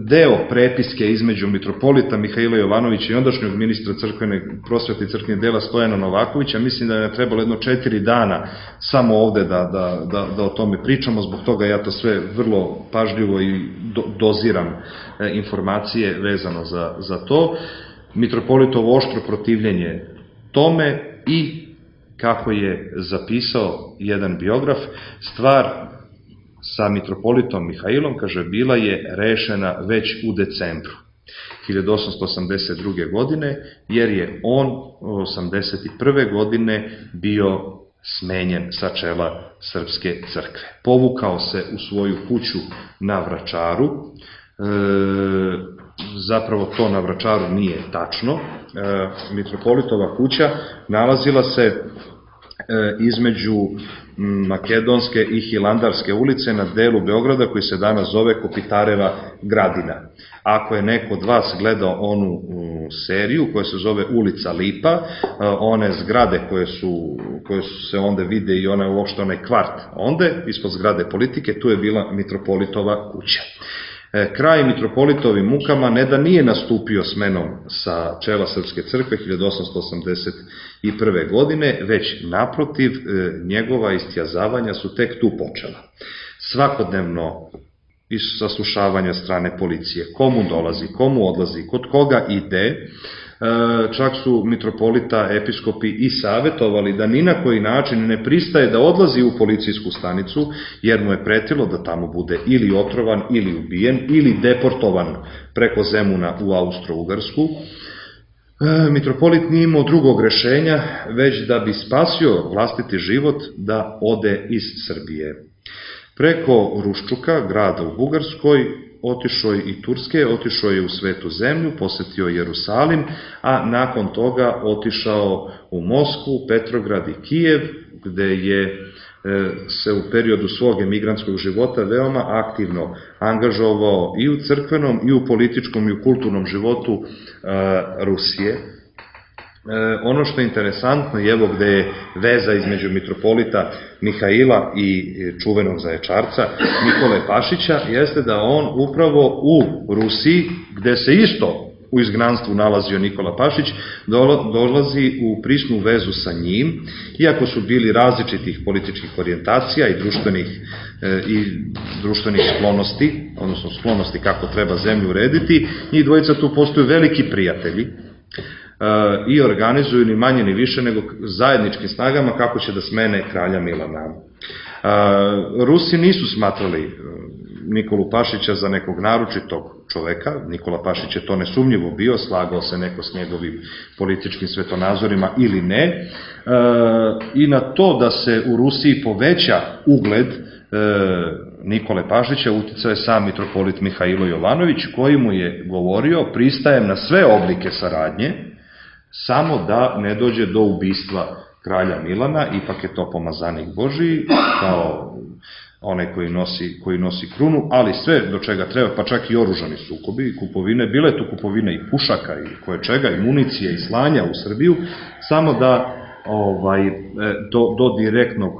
deo prepiske između mitropolita Mihaila Jovanovića i ondašnjeg ministra crkvene prosvete i crkvenih dela Stojana Novakovića, mislim da je trebalo jedno četiri dana samo ovde da, da, da, da o tome pričamo, zbog toga ja to sve vrlo pažljivo i do, doziram informacije vezano za, za to. Mitropolitovo oštro protivljenje tome i, kako je zapisao jedan biograf, stvar sa mitropolitom Mihailom, kaže, bila je rešena već u decembru hiljadu osamsto osamdeset druge. godine, jer je on osamdeset prve. godine bio smenjen sa čela Srpske crkve. Povukao se u svoju kuću na Vračaru, e, zapravo to na Vračaru nije tačno. E, mitropolitova kuća nalazila se e, između Makedonske i Hilandarske ulice na delu Beograda koji se danas zove Kopitareva Gradina. Ako je neko od vas gledao onu um, seriju koja se zove Ulica Lipa, uh, one zgrade koje su, koje su se onda vide i one uopšte onaj kvart onde, ispod zgrade Politike, tu je bila mitropolitova kuća. Kraj mitropolitovim mukama ne da nije nastupio smenom sa čela Srpske crkve hiljadu osamsto osamdeset prve. godine, već naprotiv, njegova istjazavanja su tek tu počela. Svakodnevno saslušavanja strane policije, komu dolazi, komu odlazi, kod koga ide, čak su mitropolita, episkopi i savetovali da ni na koji način ne pristaje da odlazi u policijsku stanicu, jer mu je pretilo da tamo bude ili otrovan, ili ubijen, ili deportovan preko Zemuna u Austro-Ugarsku. Mitropolit nije imao drugog rešenja, već da bi spasio vlastiti život, da ode iz Srbije. Preko Ruščuka, grada u Bugarskoj, otišao je i Turske, otišao je u Svetu zemlju, posetio Jerusalim, a nakon toga otišao u Moskvu, Petrograd i Kijev, gde je se u periodu svog emigrantskog života veoma aktivno angažovao i u crkvenom, i u političkom, i u kulturnom životu Rusije. Ono što je interesantno je evo gde je veza između mitropolita Mihaila i čuvenog zaječarca Nikole Pašića, jeste da on upravo u Rusiji, gde se isto u izgnanstvu nalazio Nikola Pašić, dolazi u prisnu vezu sa njim, iako su bili različitih političkih orijentacija i društvenih, i društvenih sklonosti, odnosno sklonosti kako treba zemlju urediti, njih dvojica tu postaju veliki prijatelji i organizuju ni manje ni više nego zajedničkim snagama kako će da smene kralja Milana. Rusi nisu smatrali Nikolu Pašića za nekog naročitog čoveka, Nikola Pašić je to nesumnjivo bio, slagao se neko s njegovim političkim svetonazorima ili ne, i na to da se u Rusiji poveća ugled Nikole Pašića uticao je sam mitropolit Mihailo Jovanović, koji mu je govorio: pristajem na sve oblike saradnje, samo da ne dođe do ubistva kralja Milana, ipak je to pomazanik Božiji, kao onaj koji nosi, koji nosi krunu, ali sve do čega treba, pa čak i oružani sukobi, kupovine, bile tu kupovine i pušaka i koje čega, i municije i slanja u Srbiju, samo da ovaj, do, do direktnog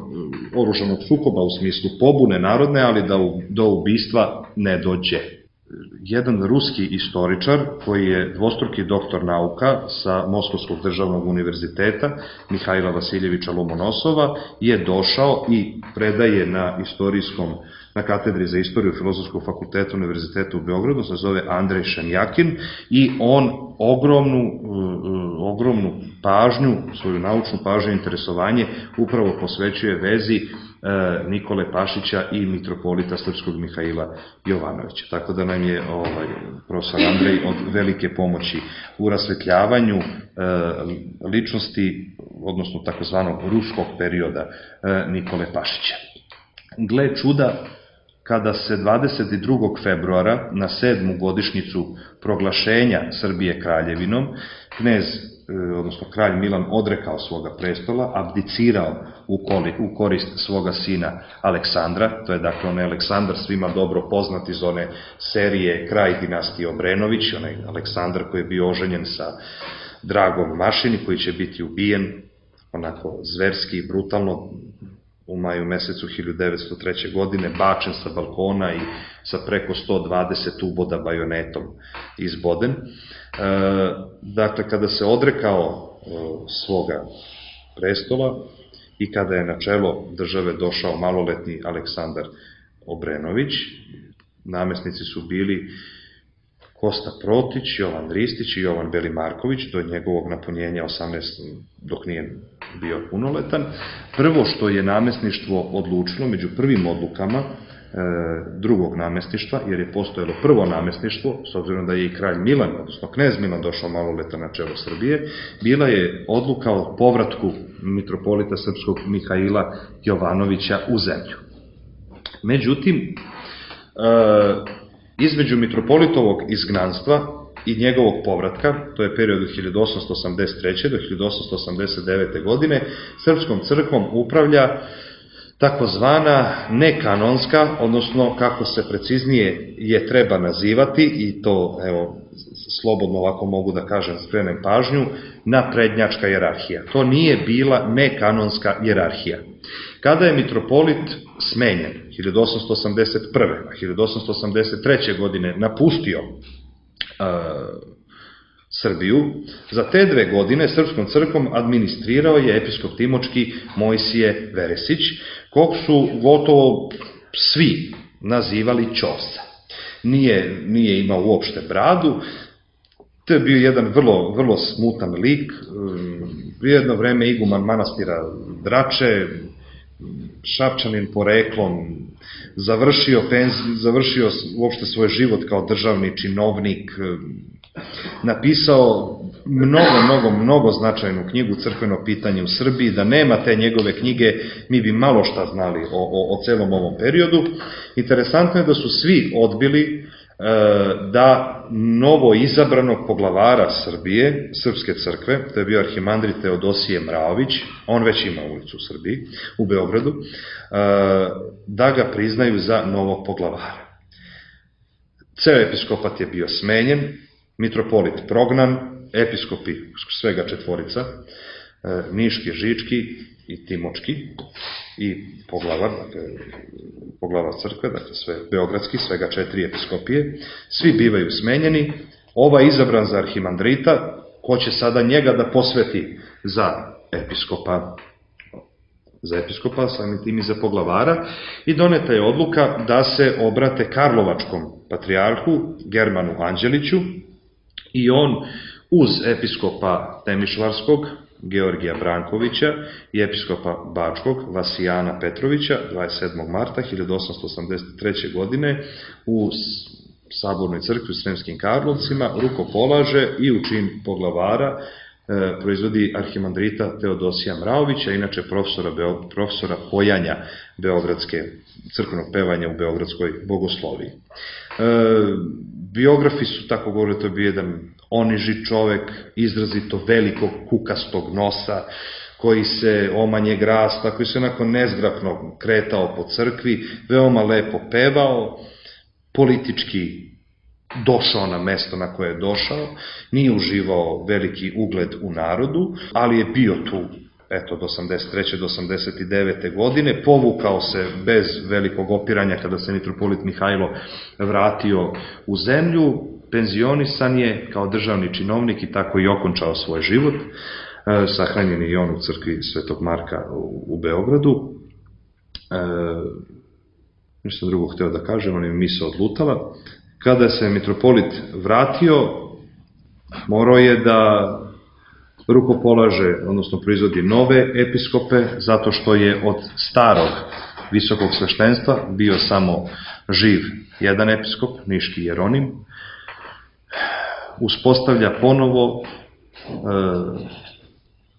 oružanog sukoba u smislu pobune narodne, ali da u, do ubistva ne dođe. Jedan ruski istoričar koji je dvostruki doktor nauka sa Moskovskog državnog univerziteta, Mihajla Vasiljevića Lomonosova, je došao i predaje na istorijskom, na katedri za istoriju Filozofskog fakulteta Univerziteta u Beogradu, se zove Andrej Šenjakin, i on ogromnu, ogromnu pažnju, svoju naučnu pažnju i interesovanje upravo posvećuje vezi Nikole Pašića i mitropolita srpskog Mihaila Jovanovića. Tako da nam je ovaj, profesor Andrej od velike pomoći u rasvetljavanju e, ličnosti, odnosno takozvanog ruskog perioda e, Nikole Pašića. Gle čuda, kada se dvadeset drugog februara na sedmu godišnjicu proglašenja Srbije kraljevinom, knez, odnosno kralj Milan odrekao svoga prestola, abdicirao u korist svoga sina Aleksandra, to je dakle onaj Aleksandar svima dobro poznat iz one serije Kraj dinastije Obrenović, onaj Aleksandar koji je bio oženjen sa Dragom Mašini, koji će biti ubijen onako zverski i brutalno u maju mesecu hiljadu devetsto treće. godine, bačen sa balkona i sa preko sto dvadeset uboda bajonetom izboden. Dakle, kada se odrekao svoga prestola i kada je na čelo države došao maloletni Aleksandar Obrenović, namesnici su bili Kosta Protić, Jovan Ristić i Jovan Belimarković, do njegovog napunjenja osamnaeste. dok nije bio punoletan. Prvo što je namesništvo odlučilo, među prvim odlukama drugog namesništva, jer je postojalo prvo namesništvo, s obzirom da je i kralj Milan, odnosno knez Milan došao maloletan na čelo Srbije, bila je odluka o povratku mitropolita srpskog Mihaila Jovanovića u zemlju. Međutim, između mitropolitovog izgnanstva i njegovog povratka, to je period od hiljadu osamsto osamdeset treće. do hiljadu osamsto osamdeset devete. godine, srpskom crkvom upravlja takozvana nekanonska, odnosno kako se preciznije je treba nazivati, i to, evo, slobodno ovako mogu da kažem, skrenem pažnju, naprednjačka jerarhija. To nije bila nekanonska jerarhija. Kada je mitropolit smenjen hiljadu osamsto osamdeset prve. a hiljadu osamsto osamdeset treće. godine napustio Srbiju, za te dve godine srpskom crkvom administrirao je episkop timočki Mojsije Veresić, kog su gotovo svi nazivali Ćosa. Nije, nije imao uopšte bradu, to je bio jedan vrlo, vrlo smutan lik, jedno vreme iguman manastira Drače, Šapčanin poreklom, završio, penzi, završio uopšte svoj život kao državni činovnik, napisao mnogo, mnogo, mnogo značajnu knjigu Crkveno pitanje u Srbiji. Da nema te njegove knjige, mi bi malo šta znali o, o, o celom ovom periodu. Interesantno je da su svi odbili da novo izabranog poglavara Srbije, Srpske crkve, to je bio arhimandrit Teodosije Mraović, on već ima ulicu u Srbiji, u Beogradu, da ga priznaju za novog poglavara. Ceo episkopat je bio smenjen, mitropolit prognan, episkopi svega četvorica, Niški, Žički i Timočki i poglavar, dakle, poglavar crkve, dakle sve beogradski, svega četiri episkopije, svi bivaju smenjeni, ova je izabran za arhimandrita, ko će sada njega da posveti za episkopa, za episkopa, samim tim i za poglavara, i doneta je odluka da se obrate Karlovačkom patrijarhu, Germanu Anđeliću, i on uz episkopa Temišvarskog, Georgija Brankovića, i episkopa Bačkog, Vasijana Petrovića, dvadeset sedmog marta hiljadu osamsto osamdeset treće. godine u Sabornoj crkvi u Sremskim Karlovcima rukopolaže i u čin poglavara e, proizvodi arhimandrita Teodosija Mraovića, inače profesora, profesora pojanja Beogradske, crkvenog pevanja u Beogradskoj bogosloviji. E, biografi su tako govorili, to je bio jedan oniži čovek, izrazito velikog kukastog nosa, koji se omanjeg rasta, koji se onako nezgrapno kretao po crkvi, veoma lepo pevao, politički došao na mesto na koje je došao, nije uživao veliki ugled u narodu, ali je bio tu eto, od osamdeset treće do osamdeset devete. godine, povukao se bez velikog opiranja kada se mitropolit Mihajlo vratio u zemlju, penzionisan je kao državni činovnik i tako i okončao svoj život. Sahranjen je i on u crkvi Svetog Marka u Beogradu. E, ništa drugo hteo da kažem, on je mi se odlutala. Kada se mitropolit vratio, morao je da rukopolaže, odnosno proizvodi nove episkope, zato što je od starog visokog sveštenstva bio samo živ jedan episkop, Niški Jeronim. Uspostavlja ponovo e,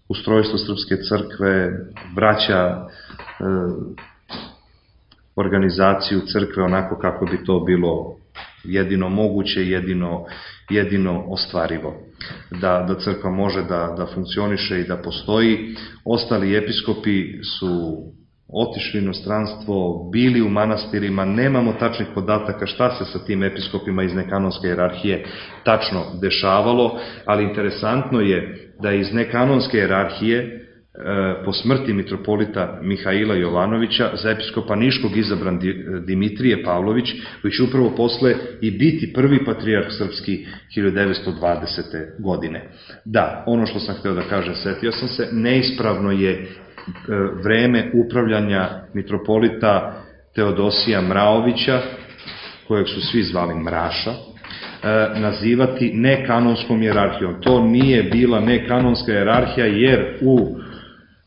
ustrojstvo Srpske crkve, vraća e, organizaciju crkve onako kako bi to bilo jedino moguće, jedino, jedino ostvarivo. Da, da crkva može da, da funkcioniše i da postoji. Ostali episkopi su otišli u inostranstvo, bili u manastirima, nemamo tačnih podataka šta se sa tim episkopima iz nekanonske hijerarhije tačno dešavalo, ali interesantno je da iz nekanonske hijerarhije po smrti mitropolita Mihaila Jovanovića za episkopa Niškog izabran Dimitrije Pavlović, koji će upravo posle i biti prvi patrijarh srpski hiljadu devetsto dvadesete. godine. Da, ono što sam hteo da kažem, setio sam se, neispravno je vreme upravljanja mitropolita Teodosija Mraovića, kojeg su svi zvali Mraša, nazivati nekanonskom hijerarhijom. To nije bila nekanonska hijerarhija, jer u,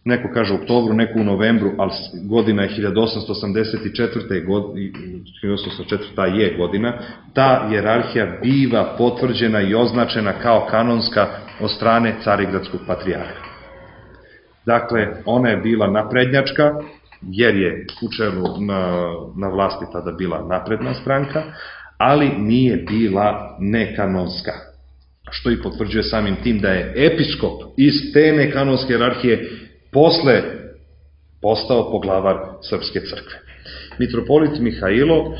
neko kaže u oktobru, neko u novembru, ali godina je hiljadu osamsto osamdeset četvrta. hiljadu osamsto osamdeset četvrta. je godina, ta hijerarhija biva potvrđena i označena kao kanonska od strane Carigradskog patrijarha. Dakle, ona je bila naprednjačka, jer je u čelu na, na vlasti tada bila napredna stranka, ali nije bila nekanonska, što i potvrđuje samim tim da je episkop iz te nekanonske hijerarhije posle postao poglavar Srpske crkve. Mitropolit Mihajlo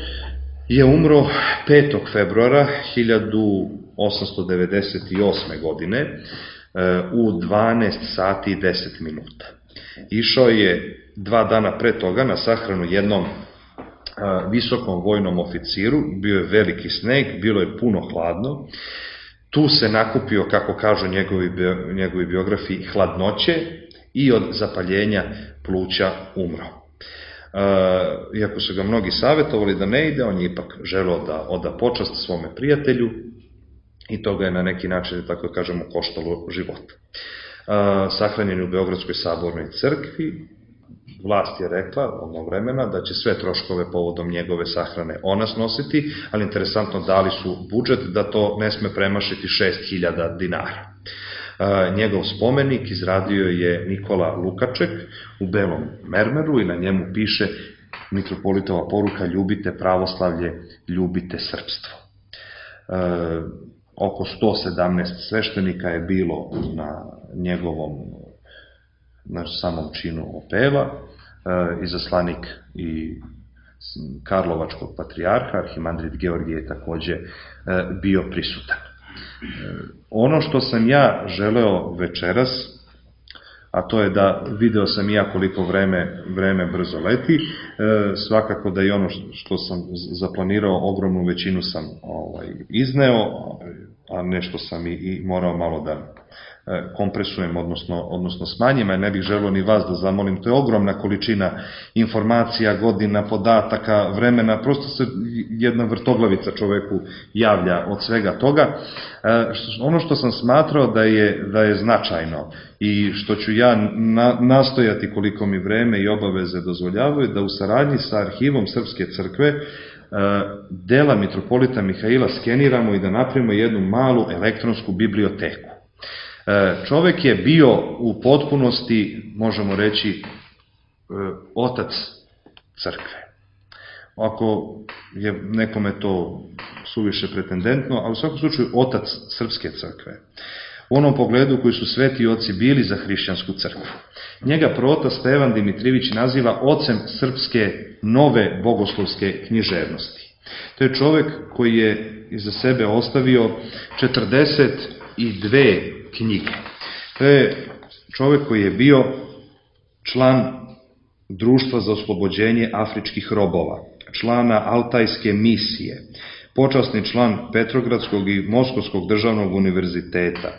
je umro petog februara hiljadu osamsto devedeset osme. godine u dvanaest sati i deset minuta. Išao je dva dana pre toga na sahranu jednom visokom vojnom oficiru, bio je veliki sneg, bilo je puno hladno, tu se nakupio, kako kažu njegovi, njegovi biografi, hladnoće i od zapaljenja pluća umro. Iako su ga mnogi savjetovali da ne ide, on je ipak želeo da oda počast svome prijatelju i to ga je na neki način, tako da kažemo, koštalo života. Sahranjen je u Beogradskoj sabornoj crkvi. Vlast je rekla onog vremena da će sve troškove povodom njegove sahrane ona snositi, ali interesantno dali su budžet da to ne sme premašiti šest hiljada dinara. Njegov spomenik izradio je Nikola Lukaček u belom mermeru i na njemu piše mitropolitova poruka: ljubite pravoslavlje, ljubite srpstvo. oko sto sedamnaest sveštenika je bilo na njegovom, na samom činu opeva, izaslanik i Karlovačkog patrijarha, arhimandrit Georgije je takođe bio prisutan. Ono što sam ja želeo večeras, a to je da video sam i ja koliko vreme, vreme brzo leti, svakako da i ono što sam zaplanirao, ogromnu većinu sam ovaj, izneo, a nešto sam i, i morao malo da kompresujem, odnosno, odnosno smanjim, a ne bih želeo ni vas da zamolim, to je ogromna količina informacija, godina, podataka, vremena, prosto se jedna vrtoglavica čoveku javlja od svega toga. Ono što sam smatrao da je, da je značajno i što ću ja na, nastojati koliko mi vreme i obaveze dozvoljavaju, da u saradnji sa arhivom Srpske crkve dela mitropolita Mihaila skeniramo i da napravimo jednu malu elektronsku biblioteku. Čovek je bio u potpunosti, možemo reći, otac crkve. Ako je nekome to suviše pretendentno, ali u svakom slučaju otac srpske crkve. U onom pogledu koji su sveti oci bili za hrišćansku crkvu. Njega protas Stevan Dimitrijević naziva ocem srpske nove bogoslovske književnosti. To je čovek koji je iza sebe ostavio četrdeset dve knjige. To je čovek koji je bio član Društva za oslobođenje afričkih robova, člana Altajske misije, počasni član Petrogradskog i Moskovskog državnog univerziteta,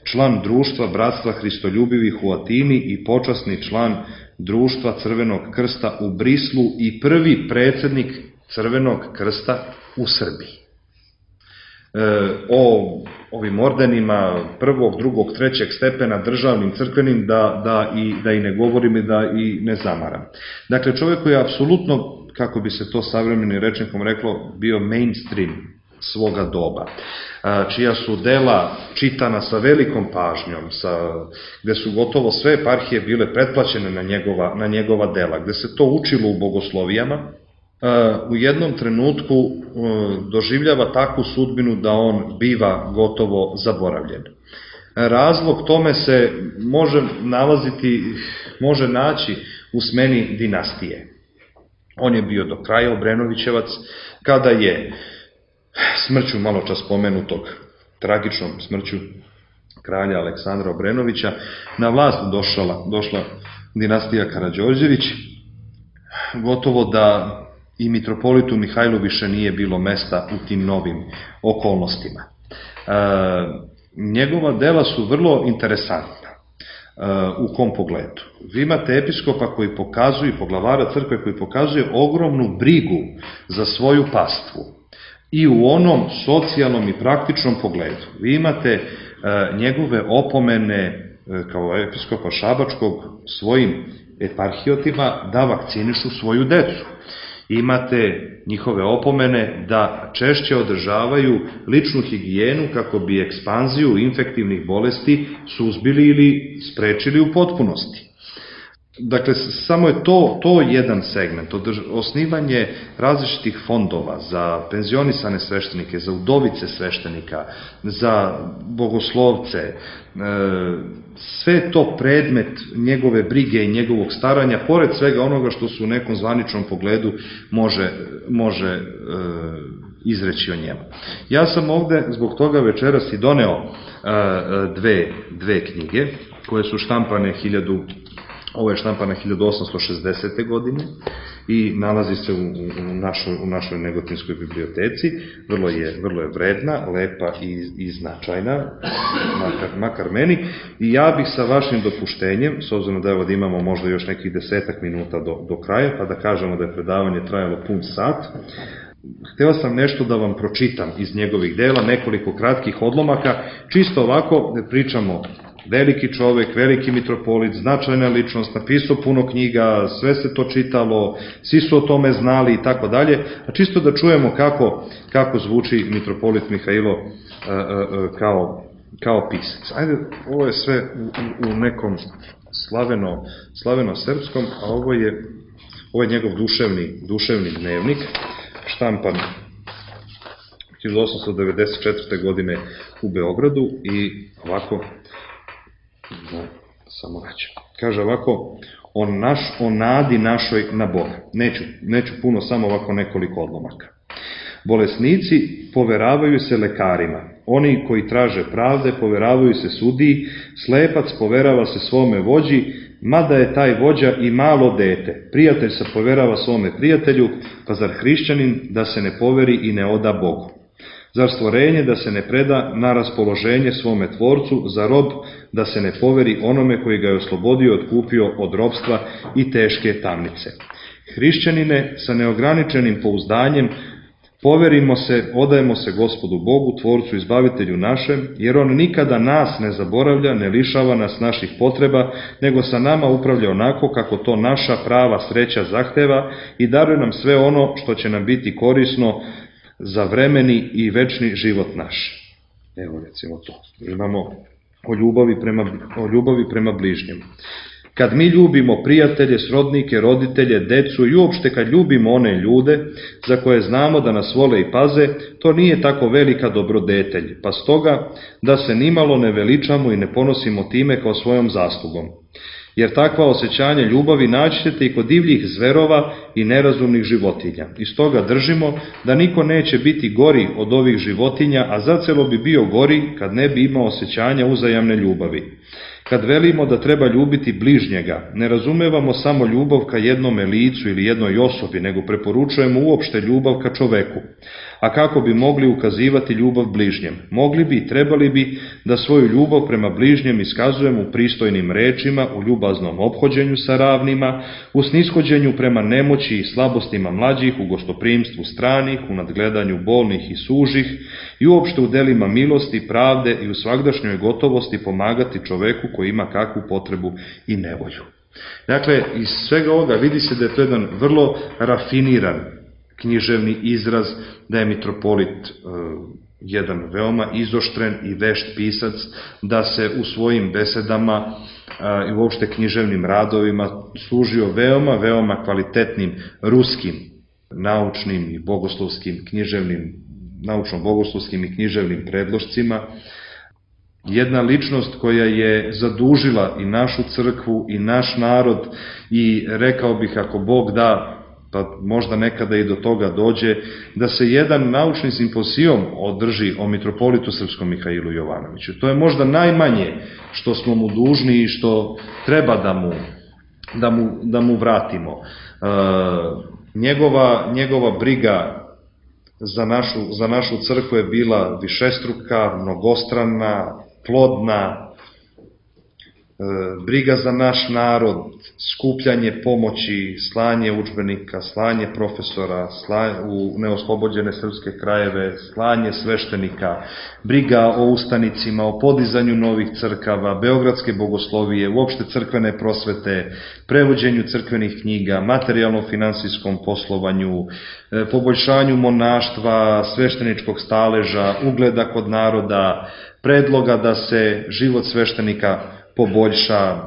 član Društva bratstva Hristoljubivih u Atini i počasni član Društva Crvenog krsta u Brislu i prvi predsednik Crvenog krsta u Srbiji. O ovim ordenima prvog, drugog, trećeg stepena državnim, crkvenim, da, da, i, da i ne govorim i da i ne zamaram. Dakle, čovjek koji je apsolutno, kako bi se to savremenim rečnikom reklo, bio mainstream svoga doba, čija su dela čitana sa velikom pažnjom, sa, gde su gotovo sve eparhije bile pretplaćene na njegova, na njegova dela, gde se to učilo u bogoslovijama, u jednom trenutku doživljava takvu sudbinu da on biva gotovo zaboravljen. Razlog tome se može nalaziti, može naći u smeni dinastije. On je bio do kraja Obrenovićevac, kada je smrću malo čas spomenutog, tragičnom smrću kralja Aleksandra Obrenovića, na vlast došla, došla dinastija Karađorđević, gotovo da i mitropolitu Mihajlu više nije bilo mesta u tim novim okolnostima. E, njegova dela su vrlo interesantna. E, u kom pogledu? Vi imate episkopa koji pokazuje, poglavara crkve koji pokazuje ogromnu brigu za svoju pastvu i u onom socijalnom i praktičnom pogledu. Vi imate e, njegove opomene e, kao episkopa Šabačkog svojim eparhijotima da vakcinišu svoju decu. Imate njihove opomene da češće održavaju ličnu higijenu kako bi ekspanziju infektivnih bolesti suzbili ili sprečili u potpunosti. Dakle, samo je to, to jedan segment, osnivanje različitih fondova za penzionisane sveštenike, za udovice sveštenika, za bogoslovce, sve to predmet njegove brige i njegovog staranja, pored svega onoga što su u nekom zvaničnom pogledu može, može izreći o njemu. Ja sam ovde zbog toga večeras i doneo dve, dve knjige koje su štampane hiljadu Ovo je štampana hiljadu osamsto šezdesete. godine i nalazi se u, u, našoj, u našoj Negotinskoj biblioteci. Vrlo je, vrlo je vredna, lepa i, i značajna, makar, makar meni. I ja bih sa vašim dopuštenjem, s obzirom da evo da imamo možda još nekih desetak minuta do, do kraja, pa da kažemo da je predavanje trajalo pun sat, hteo sam nešto da vam pročitam iz njegovih dela, nekoliko kratkih odlomaka, čisto ovako da pričamo. Veliki čovek, veliki mitropolit, značajna ličnost, napisao puno knjiga, sve se to čitalo, svi su o tome znali i tako dalje, a čisto da čujemo kako, kako zvuči mitropolit Mihajlo kao, kao pisac. Ajde, ovo je sve u, u nekom slaveno, slaveno srpskom, a ovo je, ovo je njegov duševni, duševni dnevnik, štampan hiljadu osamsto devedeset četvrte. godine u Beogradu i ovako, da, samo reći, kaže ovako, o, naš, o nadi našoj na Boga. Neću, neću puno, samo ovako nekoliko odlomaka. Bolesnici poveravaju se lekarima, oni koji traže pravde poveravaju se sudiji, slepac poverava se svome vođi, mada je taj vođa i malo dete. Prijatelj se poverava svome prijatelju, pa zar hrišćanin da se ne poveri i ne oda Bogu? Zar stvorenje da se ne preda na raspoloženje svome tvorcu, za rob da se ne poveri onome koji ga je oslobodio, otkupio od robstva i teške tamnice? Hrišćanine, sa neograničenim pouzdanjem poverimo se, odajemo se Gospodu Bogu, Tvorcu, Izbavitelju našem, jer On nikada nas ne zaboravlja, ne lišava nas naših potreba, nego sa nama upravlja onako kako to naša prava sreća zahteva i daruje nam sve ono što će nam biti korisno za vremeni i večni život naš. Evo recimo to. Imamo o ljubavi prema, o ljubavi prema bližnjem. Kad mi ljubimo prijatelje, srodnike, roditelje, decu i uopšte kad ljubimo one ljude za koje znamo da nas vole i paze, to nije tako velika dobrodetelj, pa stoga da se nimalo ne veličamo i ne ponosimo time kao svojom zaslugom. Jer takva osjećanja ljubavi naći ćete i kod divljih zverova i nerazumnih životinja. I stoga držimo da niko neće biti gori od ovih životinja, a zacelo bi bio gori kad ne bi imao osjećanja uzajamne ljubavi. Kad velimo da treba ljubiti bližnjega, ne razumevamo samo ljubav ka jednome licu ili jednoj osobi, nego preporučujemo uopšte ljubav ka čoveku. A kako bi mogli ukazivati ljubav bližnjem? Mogli bi i trebali bi da svoju ljubav prema bližnjem iskazujemo u pristojnim rečima, u ljubaznom ophođenju sa ravnima, u snishođenju prema nemoći i slabostima mlađih, u gostoprimstvu stranih, u nadgledanju bolnih i sužih i uopšte u delima milosti, pravde i u svagdašnjoj gotovosti pomagati čoveku koji ima kakvu potrebu i nevolju. Dakle, iz svega ovoga vidi se da je to jedan vrlo rafiniran književni izraz, da je mitropolit e, jedan veoma izoštren i vešt pisac, da se u svojim besedama e, i uopšte književnim radovima služio veoma, veoma kvalitetnim ruskim naučnim i bogoslovskim književnim, naučno-bogoslovskim i književnim predlošcima. Jedna ličnost koja je zadužila i našu crkvu i naš narod i rekao bih ako Bog da, pa možda nekada i do toga dođe, da se jedan naučni simpozijum održi o mitropolitu srpskom Mihailu Jovanoviću. To je možda najmanje što smo mu dužni i što treba da mu, da mu, da mu vratimo. E, njegova, njegova briga za našu, za našu crkvu je bila višestruka, mnogostrana, plodna, briga za naš narod, skupljanje pomoći, slanje udžbenika, slanje profesora slanje u neoslobođene srpske krajeve, slanje sveštenika, briga o ustanicima, o podizanju novih crkava, beogradske bogoslovije, uopšte crkvene prosvete, prevođenju crkvenih knjiga, materijalno-finansijskom poslovanju, poboljšanju monaštva, svešteničkog staleža, ugleda kod naroda, predloga da se život sveštenika poboljša,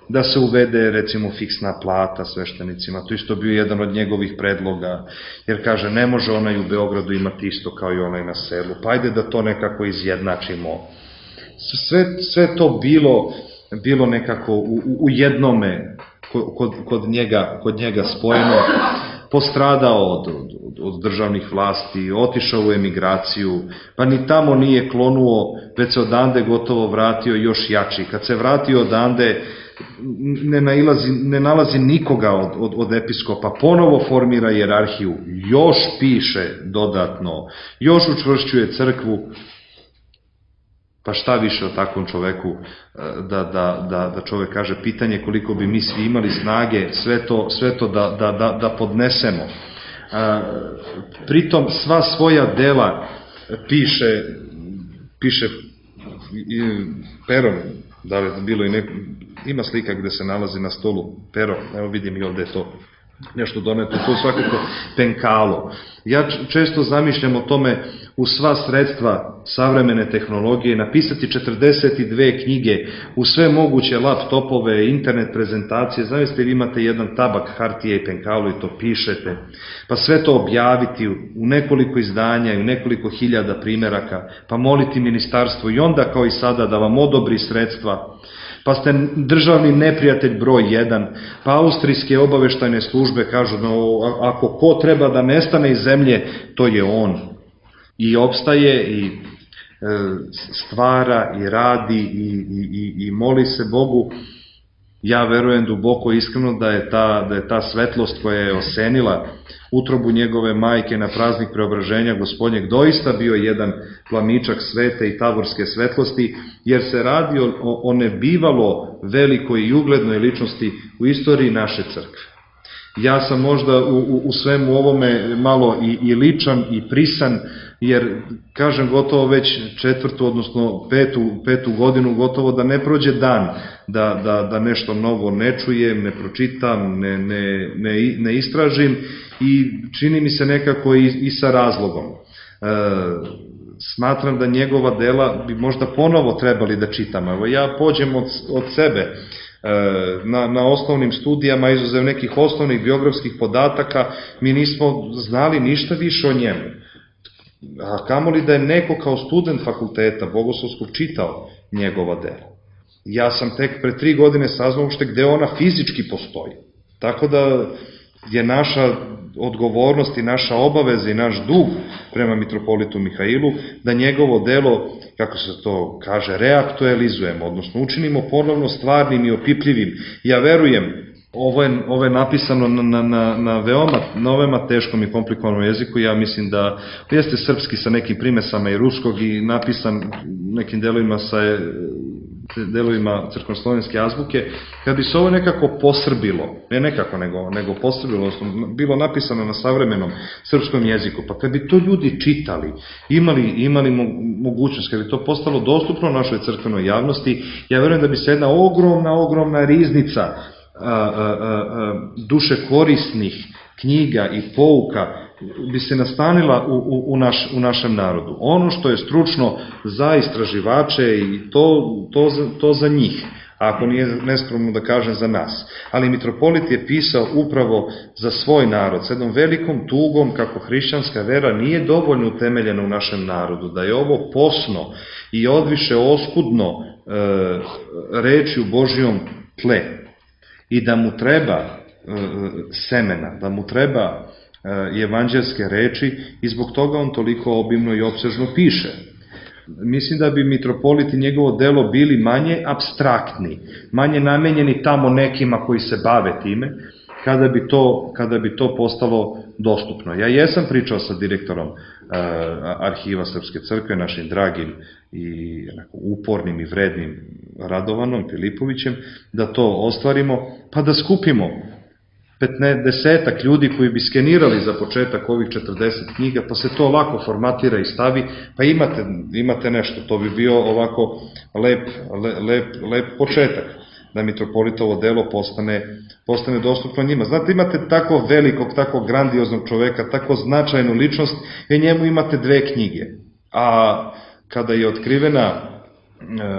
da se uvede recimo fiksna plata sveštenicima, to isto bio jedan od njegovih predloga, jer kaže ne može onaj u Beogradu imati isto kao i onaj na selu, pa ajde da to nekako izjednačimo. Sve, sve to bilo, bilo nekako u, u jednome kod, kod, njega, kod njega spojeno, postradao od, od, od državnih vlasti, otišao u emigraciju, pa ni tamo nije klonuo, već se odande gotovo vratio još jači. Kad se vratio odande, ne, nailazi, ne nalazi nikoga od, od, od episkopa, ponovo formira hijerarhiju, još piše dodatno, još učvršćuje crkvu. Pa šta više o takvom čoveku da, da, da, da čovek kaže, pitanje koliko bi mi svi imali snage sve to, sve to da, da, da, da podnesemo. A, pritom sva svoja dela piše, piše perom, da li bilo i neko, ima slika gde se nalazi na stolu pero, evo vidim i ovde je to nešto doneto, to je svakako penkalo. Ja često zamišljam o tome u sva sredstva savremene tehnologije, napisati četrdeset dve knjige, u sve moguće laptopove, internet prezentacije, zamislite vi imate jedan tabak hartije i penkalu i to pišete, pa sve to objaviti u nekoliko izdanja i u nekoliko hiljada primeraka, pa moliti ministarstvo i onda kao i sada da vam odobri sredstva, pa ste državni neprijatelj broj jedan, pa austrijske obaveštajne službe kažu da ako ko treba da nestane iz zemlje, to je on. I opstaje i stvara i radi i, i, i moli se Bogu. Ja verujem duboko iskreno da je ta, da je ta svetlost koja je osenila utrobu njegove majke na praznik Preobraženja Gospodnjeg doista bio jedan plamičak svete i taborske svetlosti, jer se radi o, o nebivalo velikoj i uglednoj ličnosti u istoriji naše crkve. Ja sam možda u, u, u svemu ovome malo i, i ličan i prisan, jer, kažem, gotovo već četvrtu, odnosno petu, petu godinu, gotovo da ne prođe dan, da, da, da nešto novo ne čujem, ne pročitam, ne, ne, ne, ne istražim i čini mi se nekako i, i sa razlogom. E, smatram da njegova dela bi možda ponovo trebali da čitam. Evo, ja pođem od, od sebe. Na, na osnovnim studijama, izuzev nekih osnovnih biografskih podataka, mi nismo znali ništa više o njemu. A kamoli da je neko kao student fakulteta bogoslovskog čitao njegova dela. Ja sam tek pre tri godine saznao uopšte gde ona fizički postoji. Tako da je naša odgovornost i naša obaveza i naš dug prema mitropolitu Mihailu da njegovo delo, kako se to kaže, reaktualizujemo, odnosno učinimo ponovno stvarnim i opipljivim. Ja verujem, ovo je, ovo je napisano na, na, na, veoma, na veoma teškom i komplikovanom jeziku, ja mislim da jeste srpski sa nekim primesama i ruskog i napisan nekim delovima sa delovima crkveno-slovenske azbuke, kad bi se ovo nekako posrbilo, ne nekako, nego, nego posrbilo, odnosno bilo napisano na savremenom srpskom jeziku, pa kad bi to ljudi čitali, imali, imali mogućnost, kad bi to postalo dostupno našoj crkvenoj javnosti, ja verujem da bi se jedna ogromna, ogromna riznica a, a, a, duše korisnih knjiga i pouka bi se nastanila u, u, u, naš, u našem narodu. Ono što je stručno za istraživače i to, to, za, to za njih, ako nije neskromno da kažem za nas. Ali mitropolit je pisao upravo za svoj narod, s jednom velikom tugom kako hrišćanska vera nije dovoljno utemeljena u našem narodu, da je ovo posno i odviše oskudno e, reči u Božijom tle i da mu treba e, semena, da mu treba evanđelske reči i zbog toga on toliko obimno i opsežno piše. Mislim da bi mitropolit i njegovo delo bili manje apstraktni, manje namenjeni tamo nekima koji se bave time, kada bi to, kada bi to postalo dostupno. Ja jesam pričao sa direktorom uh, arhiva Srpske crkve, našim dragim i upornim i vrednim Radovanom Filipovićem, da to ostvarimo, pa da skupimo petnaestak ljudi koji bi skenirali za početak ovih četrdeset knjiga, pa se to lako formatira i stavi, pa imate, imate nešto, to bi bio ovako lep, lep, lep početak, da mitropolitovo delo postane, postane dostupno njima. Znate, imate tako velikog, tako grandioznog čoveka, tako značajnu ličnost, i njemu imate dve knjige. A kada je otkrivena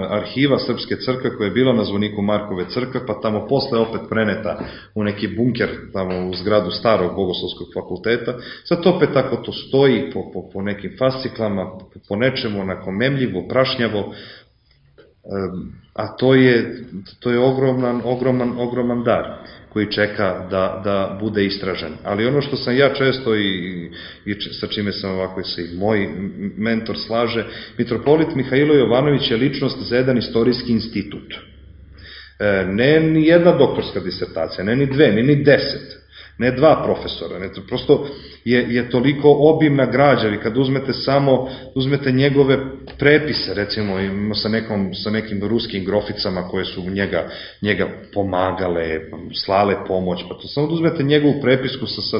arhiva Srpske crkve koja je bila na zvoniku Markove crkve, pa tamo posle opet preneta u neki bunker tamo u zgradu starog bogoslovskog fakulteta, sad opet tako to stoji po, po, po nekim fasciklama, po nečemu onako memljivo, prašnjavo, a to je, to je ogroman, ogroman, ogroman dar koji čeka da, da bude istražen. Ali ono što sam ja često i, i sa čime sam ovako se i moj mentor slaže, mitropolit Mihailo Jovanović je ličnost za jedan istorijski institut. E, ne ni jedna doktorska disertacija, ne ni dve, ne ni deset, ne dva profesora, ne, prosto je, je toliko obimna građa, i kad uzmete samo, uzmete njegove prepise, recimo sa, nekom, sa nekim ruskim groficama koje su njega, njega pomagale, slale pomoć, pa to samo da uzmete njegovu prepisku sa, sa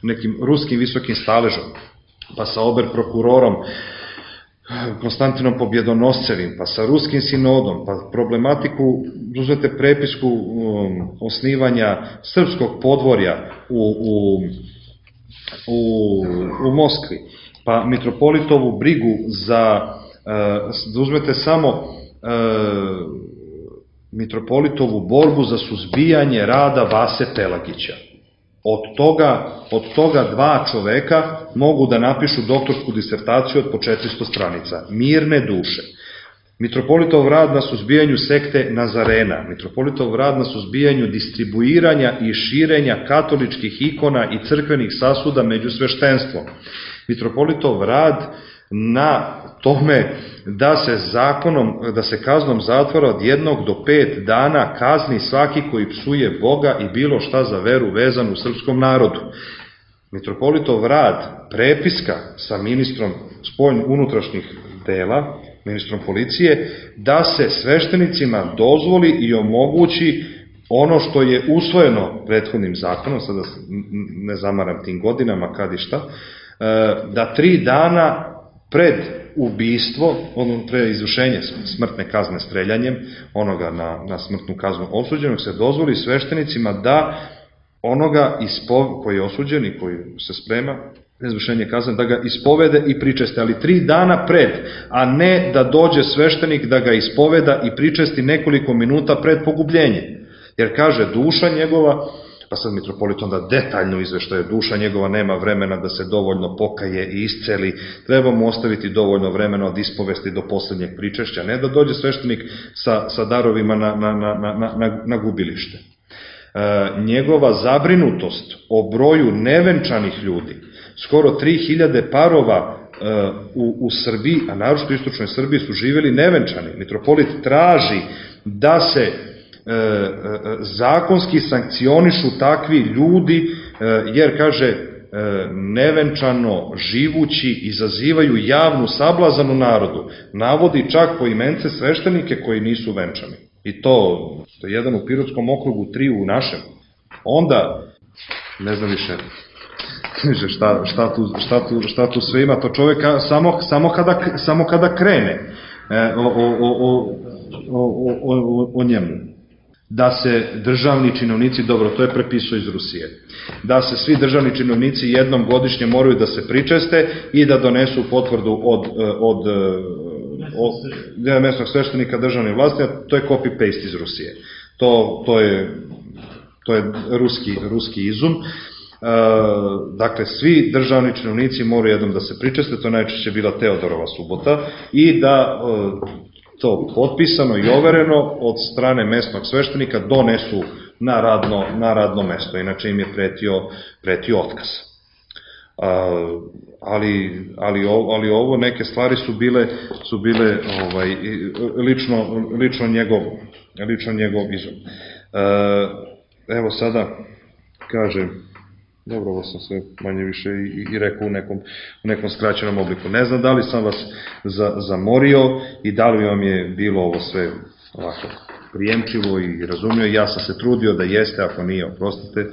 nekim ruskim visokim staležom, pa sa ober prokurorom Konstantinom Pobjedonoscevim, pa sa ruskim sinodom, pa problematiku, uzmete prepisku um, osnivanja srpskog podvorja u, u, u, u Moskvi, pa mitropolitovu brigu za, da uzmete samo mitropolitovu borbu za suzbijanje rada Vase Pelagića. Od toga, od toga dva čoveka mogu da napišu doktorsku disertaciju od po četiristo stranica. Mirne duše. Mitropolitov rad na suzbijanju sekte Nazarena, mitropolitov rad na suzbijanju distribuiranja i širenja katoličkih ikona i crkvenih sasuda među sveštenstvom, mitropolitov rad na tome da se zakonom, da se kaznom zatvora od jednog do pet dana kazni svaki koji psuje Boga i bilo šta za veru vezanu u srpskom narodu. Mitropolitov rad, prepiska sa ministrom spoljno unutrašnjih dela, ministrom policije, da se sveštenicima dozvoli i omogući ono što je usvojeno prethodnim zakonom, sada ne zamaram tim godinama kad i šta, da tri dana pred ubistvo, odnosno pre izvršenje smrtne kazne streljanjem, onoga na, na smrtnu kaznu osuđenog, se dozvoli sveštenicima da onoga ispo, koji je osuđen i koji se sprema izvršenje kazne, da ga ispovede i pričeste, ali tri dana pred, a ne da dođe sveštenik da ga ispoveda i pričesti nekoliko minuta pred pogubljenje. Jer kaže, duša njegova, pa sad mitropolit onda detaljno izveštaje, duša njegova nema vremena da se dovoljno pokaje i isceli, treba mu ostaviti dovoljno vremena od ispovesti do poslednjeg pričešća, ne da dođe sveštenik sa, sa darovima na, na, na, na, na, na gubilište. E, njegova zabrinutost o broju nevenčanih ljudi, skoro tri hiljade parova e, u, u Srbiji, a naročito u istočnoj Srbiji, su živjeli nevenčani. Mitropolit traži da se zakonski sankcionišu takvi ljudi, jer, kaže, nevenčano živući izazivaju javnu sablazan u narodu. Navodi čak po imence sveštenike koji nisu venčani. I to, to je jedan u Pirotskom okrugu, tri u našem. Onda, ne znam više, šta, šta, tu, šta, tu, šta tu sve ima, to čovjek samo, samo, kada, samo kada krene o, o, o, o, o, o njemu. Da se državni činovnici, dobro, to je prepisao iz Rusije, da se svi državni činovnici jednom godišnje moraju da se pričeste i da donesu potvrdu od, od, od, od mesnog sveštenika državne vlasti, a to je copy-paste iz Rusije. To, to je, to je ruski, ruski izum. E, dakle, svi državni činovnici moraju jednom da se pričeste, to najčešće bila Teodorova subota, i da to potpisano i overeno od strane mesnog sveštenika donesu na radno, na radno mesto, inače im je pretio, pretio otkaz. A, ali, ali, ali ovo, neke stvari su bile, su bile ovaj, lično, lično, njegov, lično njegov izum. A, evo sada, kaže, dobro, ovo sam sve manje više i, i rekao u nekom, u nekom skraćenom obliku. Ne znam da li sam vas za, zamorio i da li vam je bilo ovo sve ovako prijemčivo i razumio. Ja sam se trudio da jeste, ako nije, oprostite.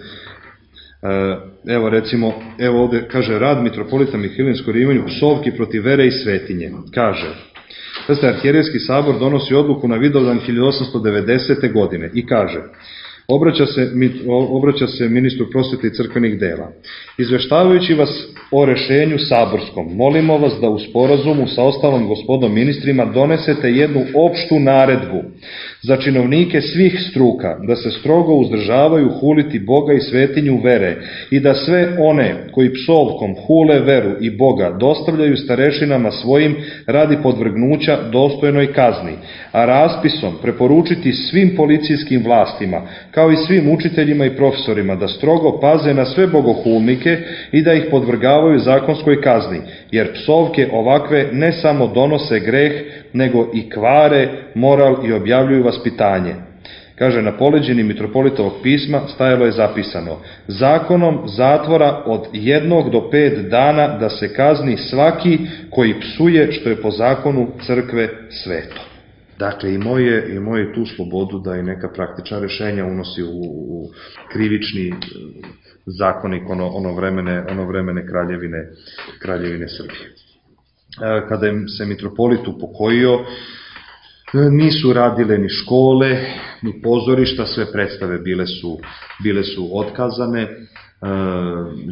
Evo recimo, evo ovde kaže, rad mitropolita Mihajlinsko Rimanju, psovki protiv vere i svetinje. Kaže, da Arhijerejski sabor donosi odluku na Vidovdan hiljadu osamsto devedesete. godine i kaže, Obraća se, obraća se ministru prosvete i crkvenih dela. Izveštavajući vas o rešenju saborskom, molimo vas da u sporazumu sa ostalom gospodom ministrima donesete jednu opštu naredbu za činovnike svih struka, da se strogo uzdržavaju huliti Boga i svetinju vere i da sve one koji psovkom hule veru i Boga dostavljaju starešinama svojim radi podvrgnuća dostojnoj kazni, a raspisom preporučiti svim policijskim vlastima, kao i svim učiteljima i profesorima, da strogo paze na sve bogohulnike i da ih podvrgavaju zakonskoj kazni, jer psovke ovakve ne samo donose greh, nego i kvare moral i objavljuju vaspitanje. Kaže, na poleđini mitropolitovog pisma stajalo je zapisano, zakonom zatvora od jednog do pet dana da se kazni svaki koji psuje što je po zakonu crkve sveto. Dakle, imao je, imao je tu slobodu da i neka praktična rešenja unosi u, u krivični zakonik ono, ono, vremene, ono vremene kraljevine, kraljevine Srbije. Kada je se mitropolit upokojio, Nisu radile ni škole, ni pozorišta, sve predstave bile su, bile su otkazane,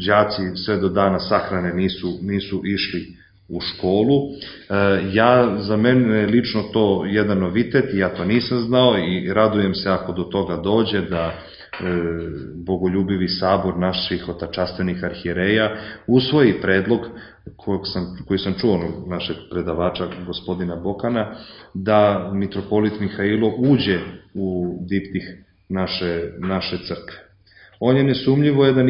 đaci sve do dana sahrane nisu, nisu išli u školu. Ja, za mene lično to jedan novitet i ja to nisam znao i radujem se ako do toga dođe da bogoljubivi sabor naših otačastvenih arhijereja usvoji predlog sam, koji sam čuo našeg predavača gospodina Bokana, da mitropolit Mihailo uđe u diptih naše, naše crkve. On je nesumnjivo jedan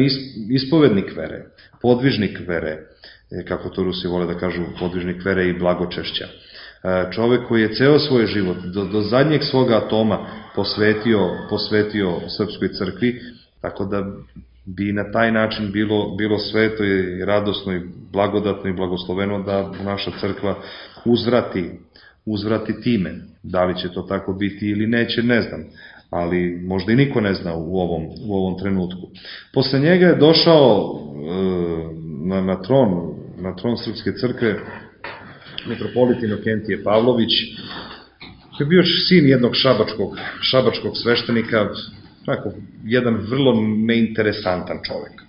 ispovednik vere, podvižnik vere, kako to Rusi vole da kažu, podvižnik vere i blagočešća. Čovek koji je ceo svoj život, do, do zadnjeg svoga atoma posvetio, posvetio Srpskoj crkvi, tako da bi na taj način bilo, bilo sveto i radosno i blagodatno i blagosloveno da naša crkva uzvrati, uzvrati time. Da li će to tako biti ili neće, ne znam, ali možda i niko ne zna u ovom, u ovom trenutku. Posle njega je došao e, na, na tron, na tron Srpske crkve mitropolit Inokentije Pavlović, koji je bio sin jednog šabačkog, šabačkog sveštenika, tako, jedan vrlo neinteresantan čovek. E,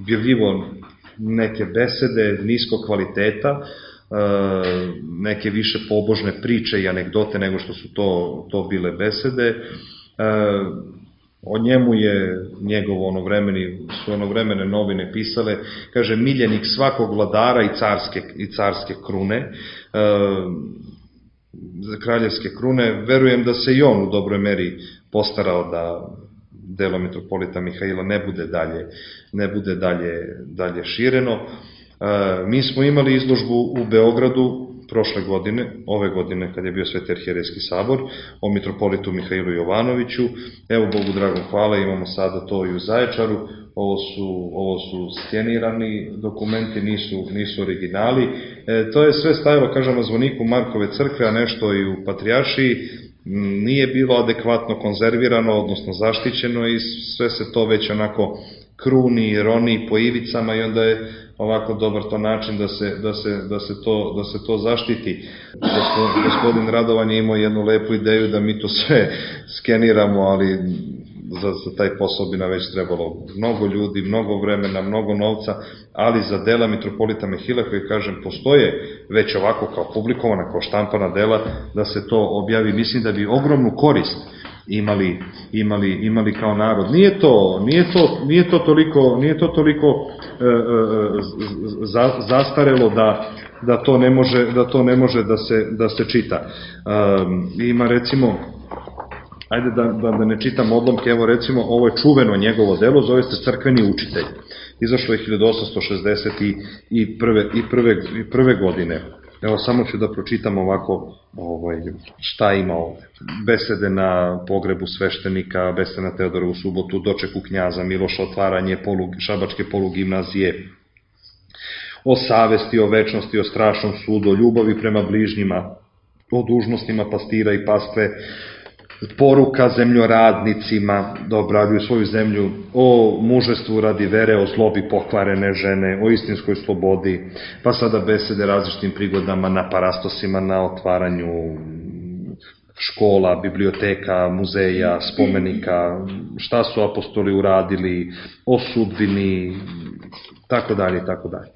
objavljivo neke besede niskog kvaliteta, e, neke više pobožne priče i anegdote nego što su to, to bile besede. E, o njemu je njegov onovremeni, su onovremene novine pisale, kaže, miljenik svakog vladara i carske, i carske krune, e, kraljevske krune. Verujem da se i on u dobroj meri postarao da delo mitropolita Mihaila ne bude dalje, ne bude dalje, dalje šireno. E, mi smo imali izložbu u Beogradu prošle godine, ove godine kad je bio Sveti arhijerejski sabor, o mitropolitu Mihailu Jovanoviću. Evo, Bogu dragom hvala, imamo sada to i u Zaječaru. Ovo su, ovo su skenirani dokumenti, nisu, nisu originali. E, to je sve stajalo, kažem, na zvoniku Markove crkve, a nešto i u Patrijaršiji. Nije bilo adekvatno konzervirano, odnosno zaštićeno i sve se to već onako kruni, roni po ivicama i onda je ovako dobar to način da se, da se, da se, to, da se to zaštiti. Gospodin Radovan je imao jednu lepu ideju da mi to sve skeniramo, ali za, za taj posao bi nam već trebalo mnogo ljudi, mnogo vremena, mnogo novca, ali za dela mitropolita Mihaila, koji, kažem, postoje već ovako kao publikovana, kao štampana dela, da se to objavi, mislim da bi ogromnu korist imali, imali, imali kao narod. Nije to, nije to, nije to toliko, nije to toliko e, e, za, zastarelo da, da to ne može, da to ne može da se, da se čita. E, ima recimo, ajde da, da, da ne čitam odlomke, evo recimo, ovo je čuveno njegovo delo, zove se Crkveni učitelj. Izašlo je hiljadu osamsto šezdeset prve godine. Evo, samo ću da pročitam ovako ovaj, šta ima ovde. Besede na pogrebu sveštenika, besede na Teodorovu subotu, dočeku knjaza, Miloša, otvaranje polug, šabačke polugimnazije, o savesti, o večnosti, o strašnom sudu, o ljubavi prema bližnjima, o dužnostima pastira i pastve, poruka zemljoradnicima da obraduju svoju zemlju, o mužestvu radi vere, o zlobi pokvarene žene, o istinskoj slobodi, pa sada besede različitim prigodama na parastosima, na otvaranju škola, biblioteka, muzeja, spomenika, šta su apostoli uradili, o sudbini, tako dalje, tako dalje.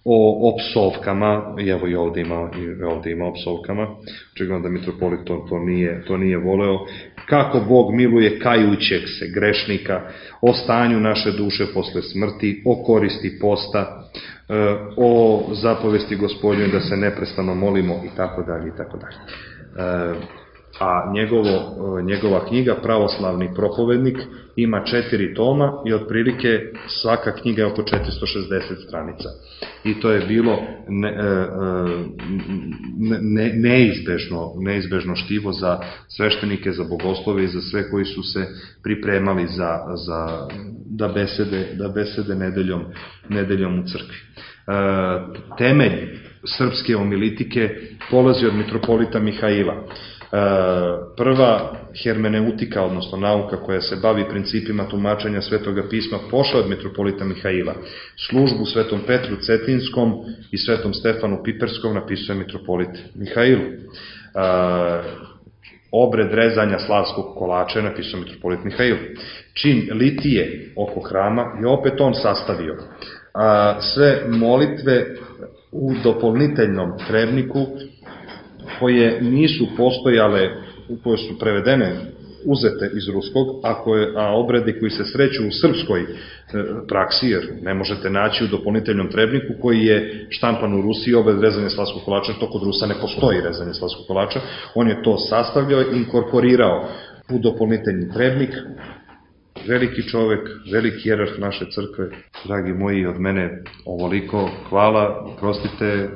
O, o psovkama, evo i ovde ima, i ovde ima o psovkama, očigledno da mitropolit to, to, nije, to nije voleo. Kako Bog miluje kajućeg se grešnika, o stanju naše duše posle smrti, o koristi posta, o zapovesti Gospodnjoj da se neprestano molimo i tako dalje i tako dalje. A njegovo, njegova knjiga Pravoslavni propovednik ima četiri toma i otprilike svaka knjiga je oko četiristo šezdeset stranica. I to je bilo ne, ne, neizbežno, neizbežno štivo za sveštenike, za bogoslove i za sve koji su se pripremali za, za, da, besede, da besede nedeljom, nedeljom u crkvi. Temelj srpske homilitike polazi od mitropolita Mihaila. Prva hermeneutika, odnosno nauka koja se bavi principima tumačenja Svetoga pisma, pošla od mitropolita Mihaila. Službu Svetom Petru Cetinskom i Svetom Stefanu Piperskom napisuje mitropolit Mihailu. obred rezanja slavskog kolača je napisao mitropolit Mihail. Čin litije oko hrama je opet on sastavio. Sve molitve u doполнителnom trebniku koje nisu postojale, koje su prevedene, uzete iz ruskog, a, koje, a obredi koji se sreću u srpskoj e, praksi, jer ne možete naći u doполнителnom trebniku koji je štampan u Rusiji, obred rezanja slavskog kolača, to kod Rusa ne postoji rezanje slavskog kolača, on je to sastavljao i inkorporirao u doполнителni trebnik. Veliki čovek, veliki jerarh naše crkve, dragi moji, od mene ovoliko, hvala, prostite.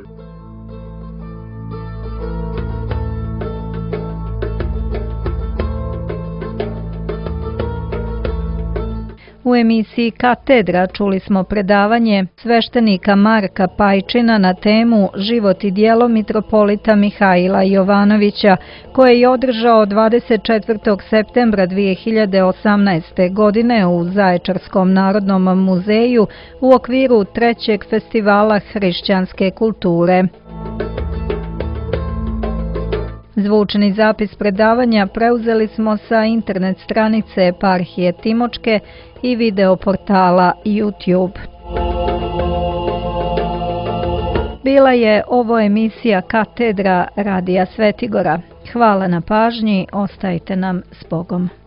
U emisiji Katedra čuli smo predavanje sveštenika Marka Pajčina na temu Život i djelo mitropolita Mihaila Jovanovića, koje je održao dvadeset četvrtog septembra dve hiljade osamnaeste. godine u Zaječarskom narodnom muzeju u okviru trećeg festivala hrišćanske kulture. Zvučni zapis predavanja preuzeli smo sa internet stranice Eparhije Timočke i video portala YouTube. Bila je ovo emisija Katedra Radija Svetigora. Hvala na pažnji, ostajte nam s Bogom.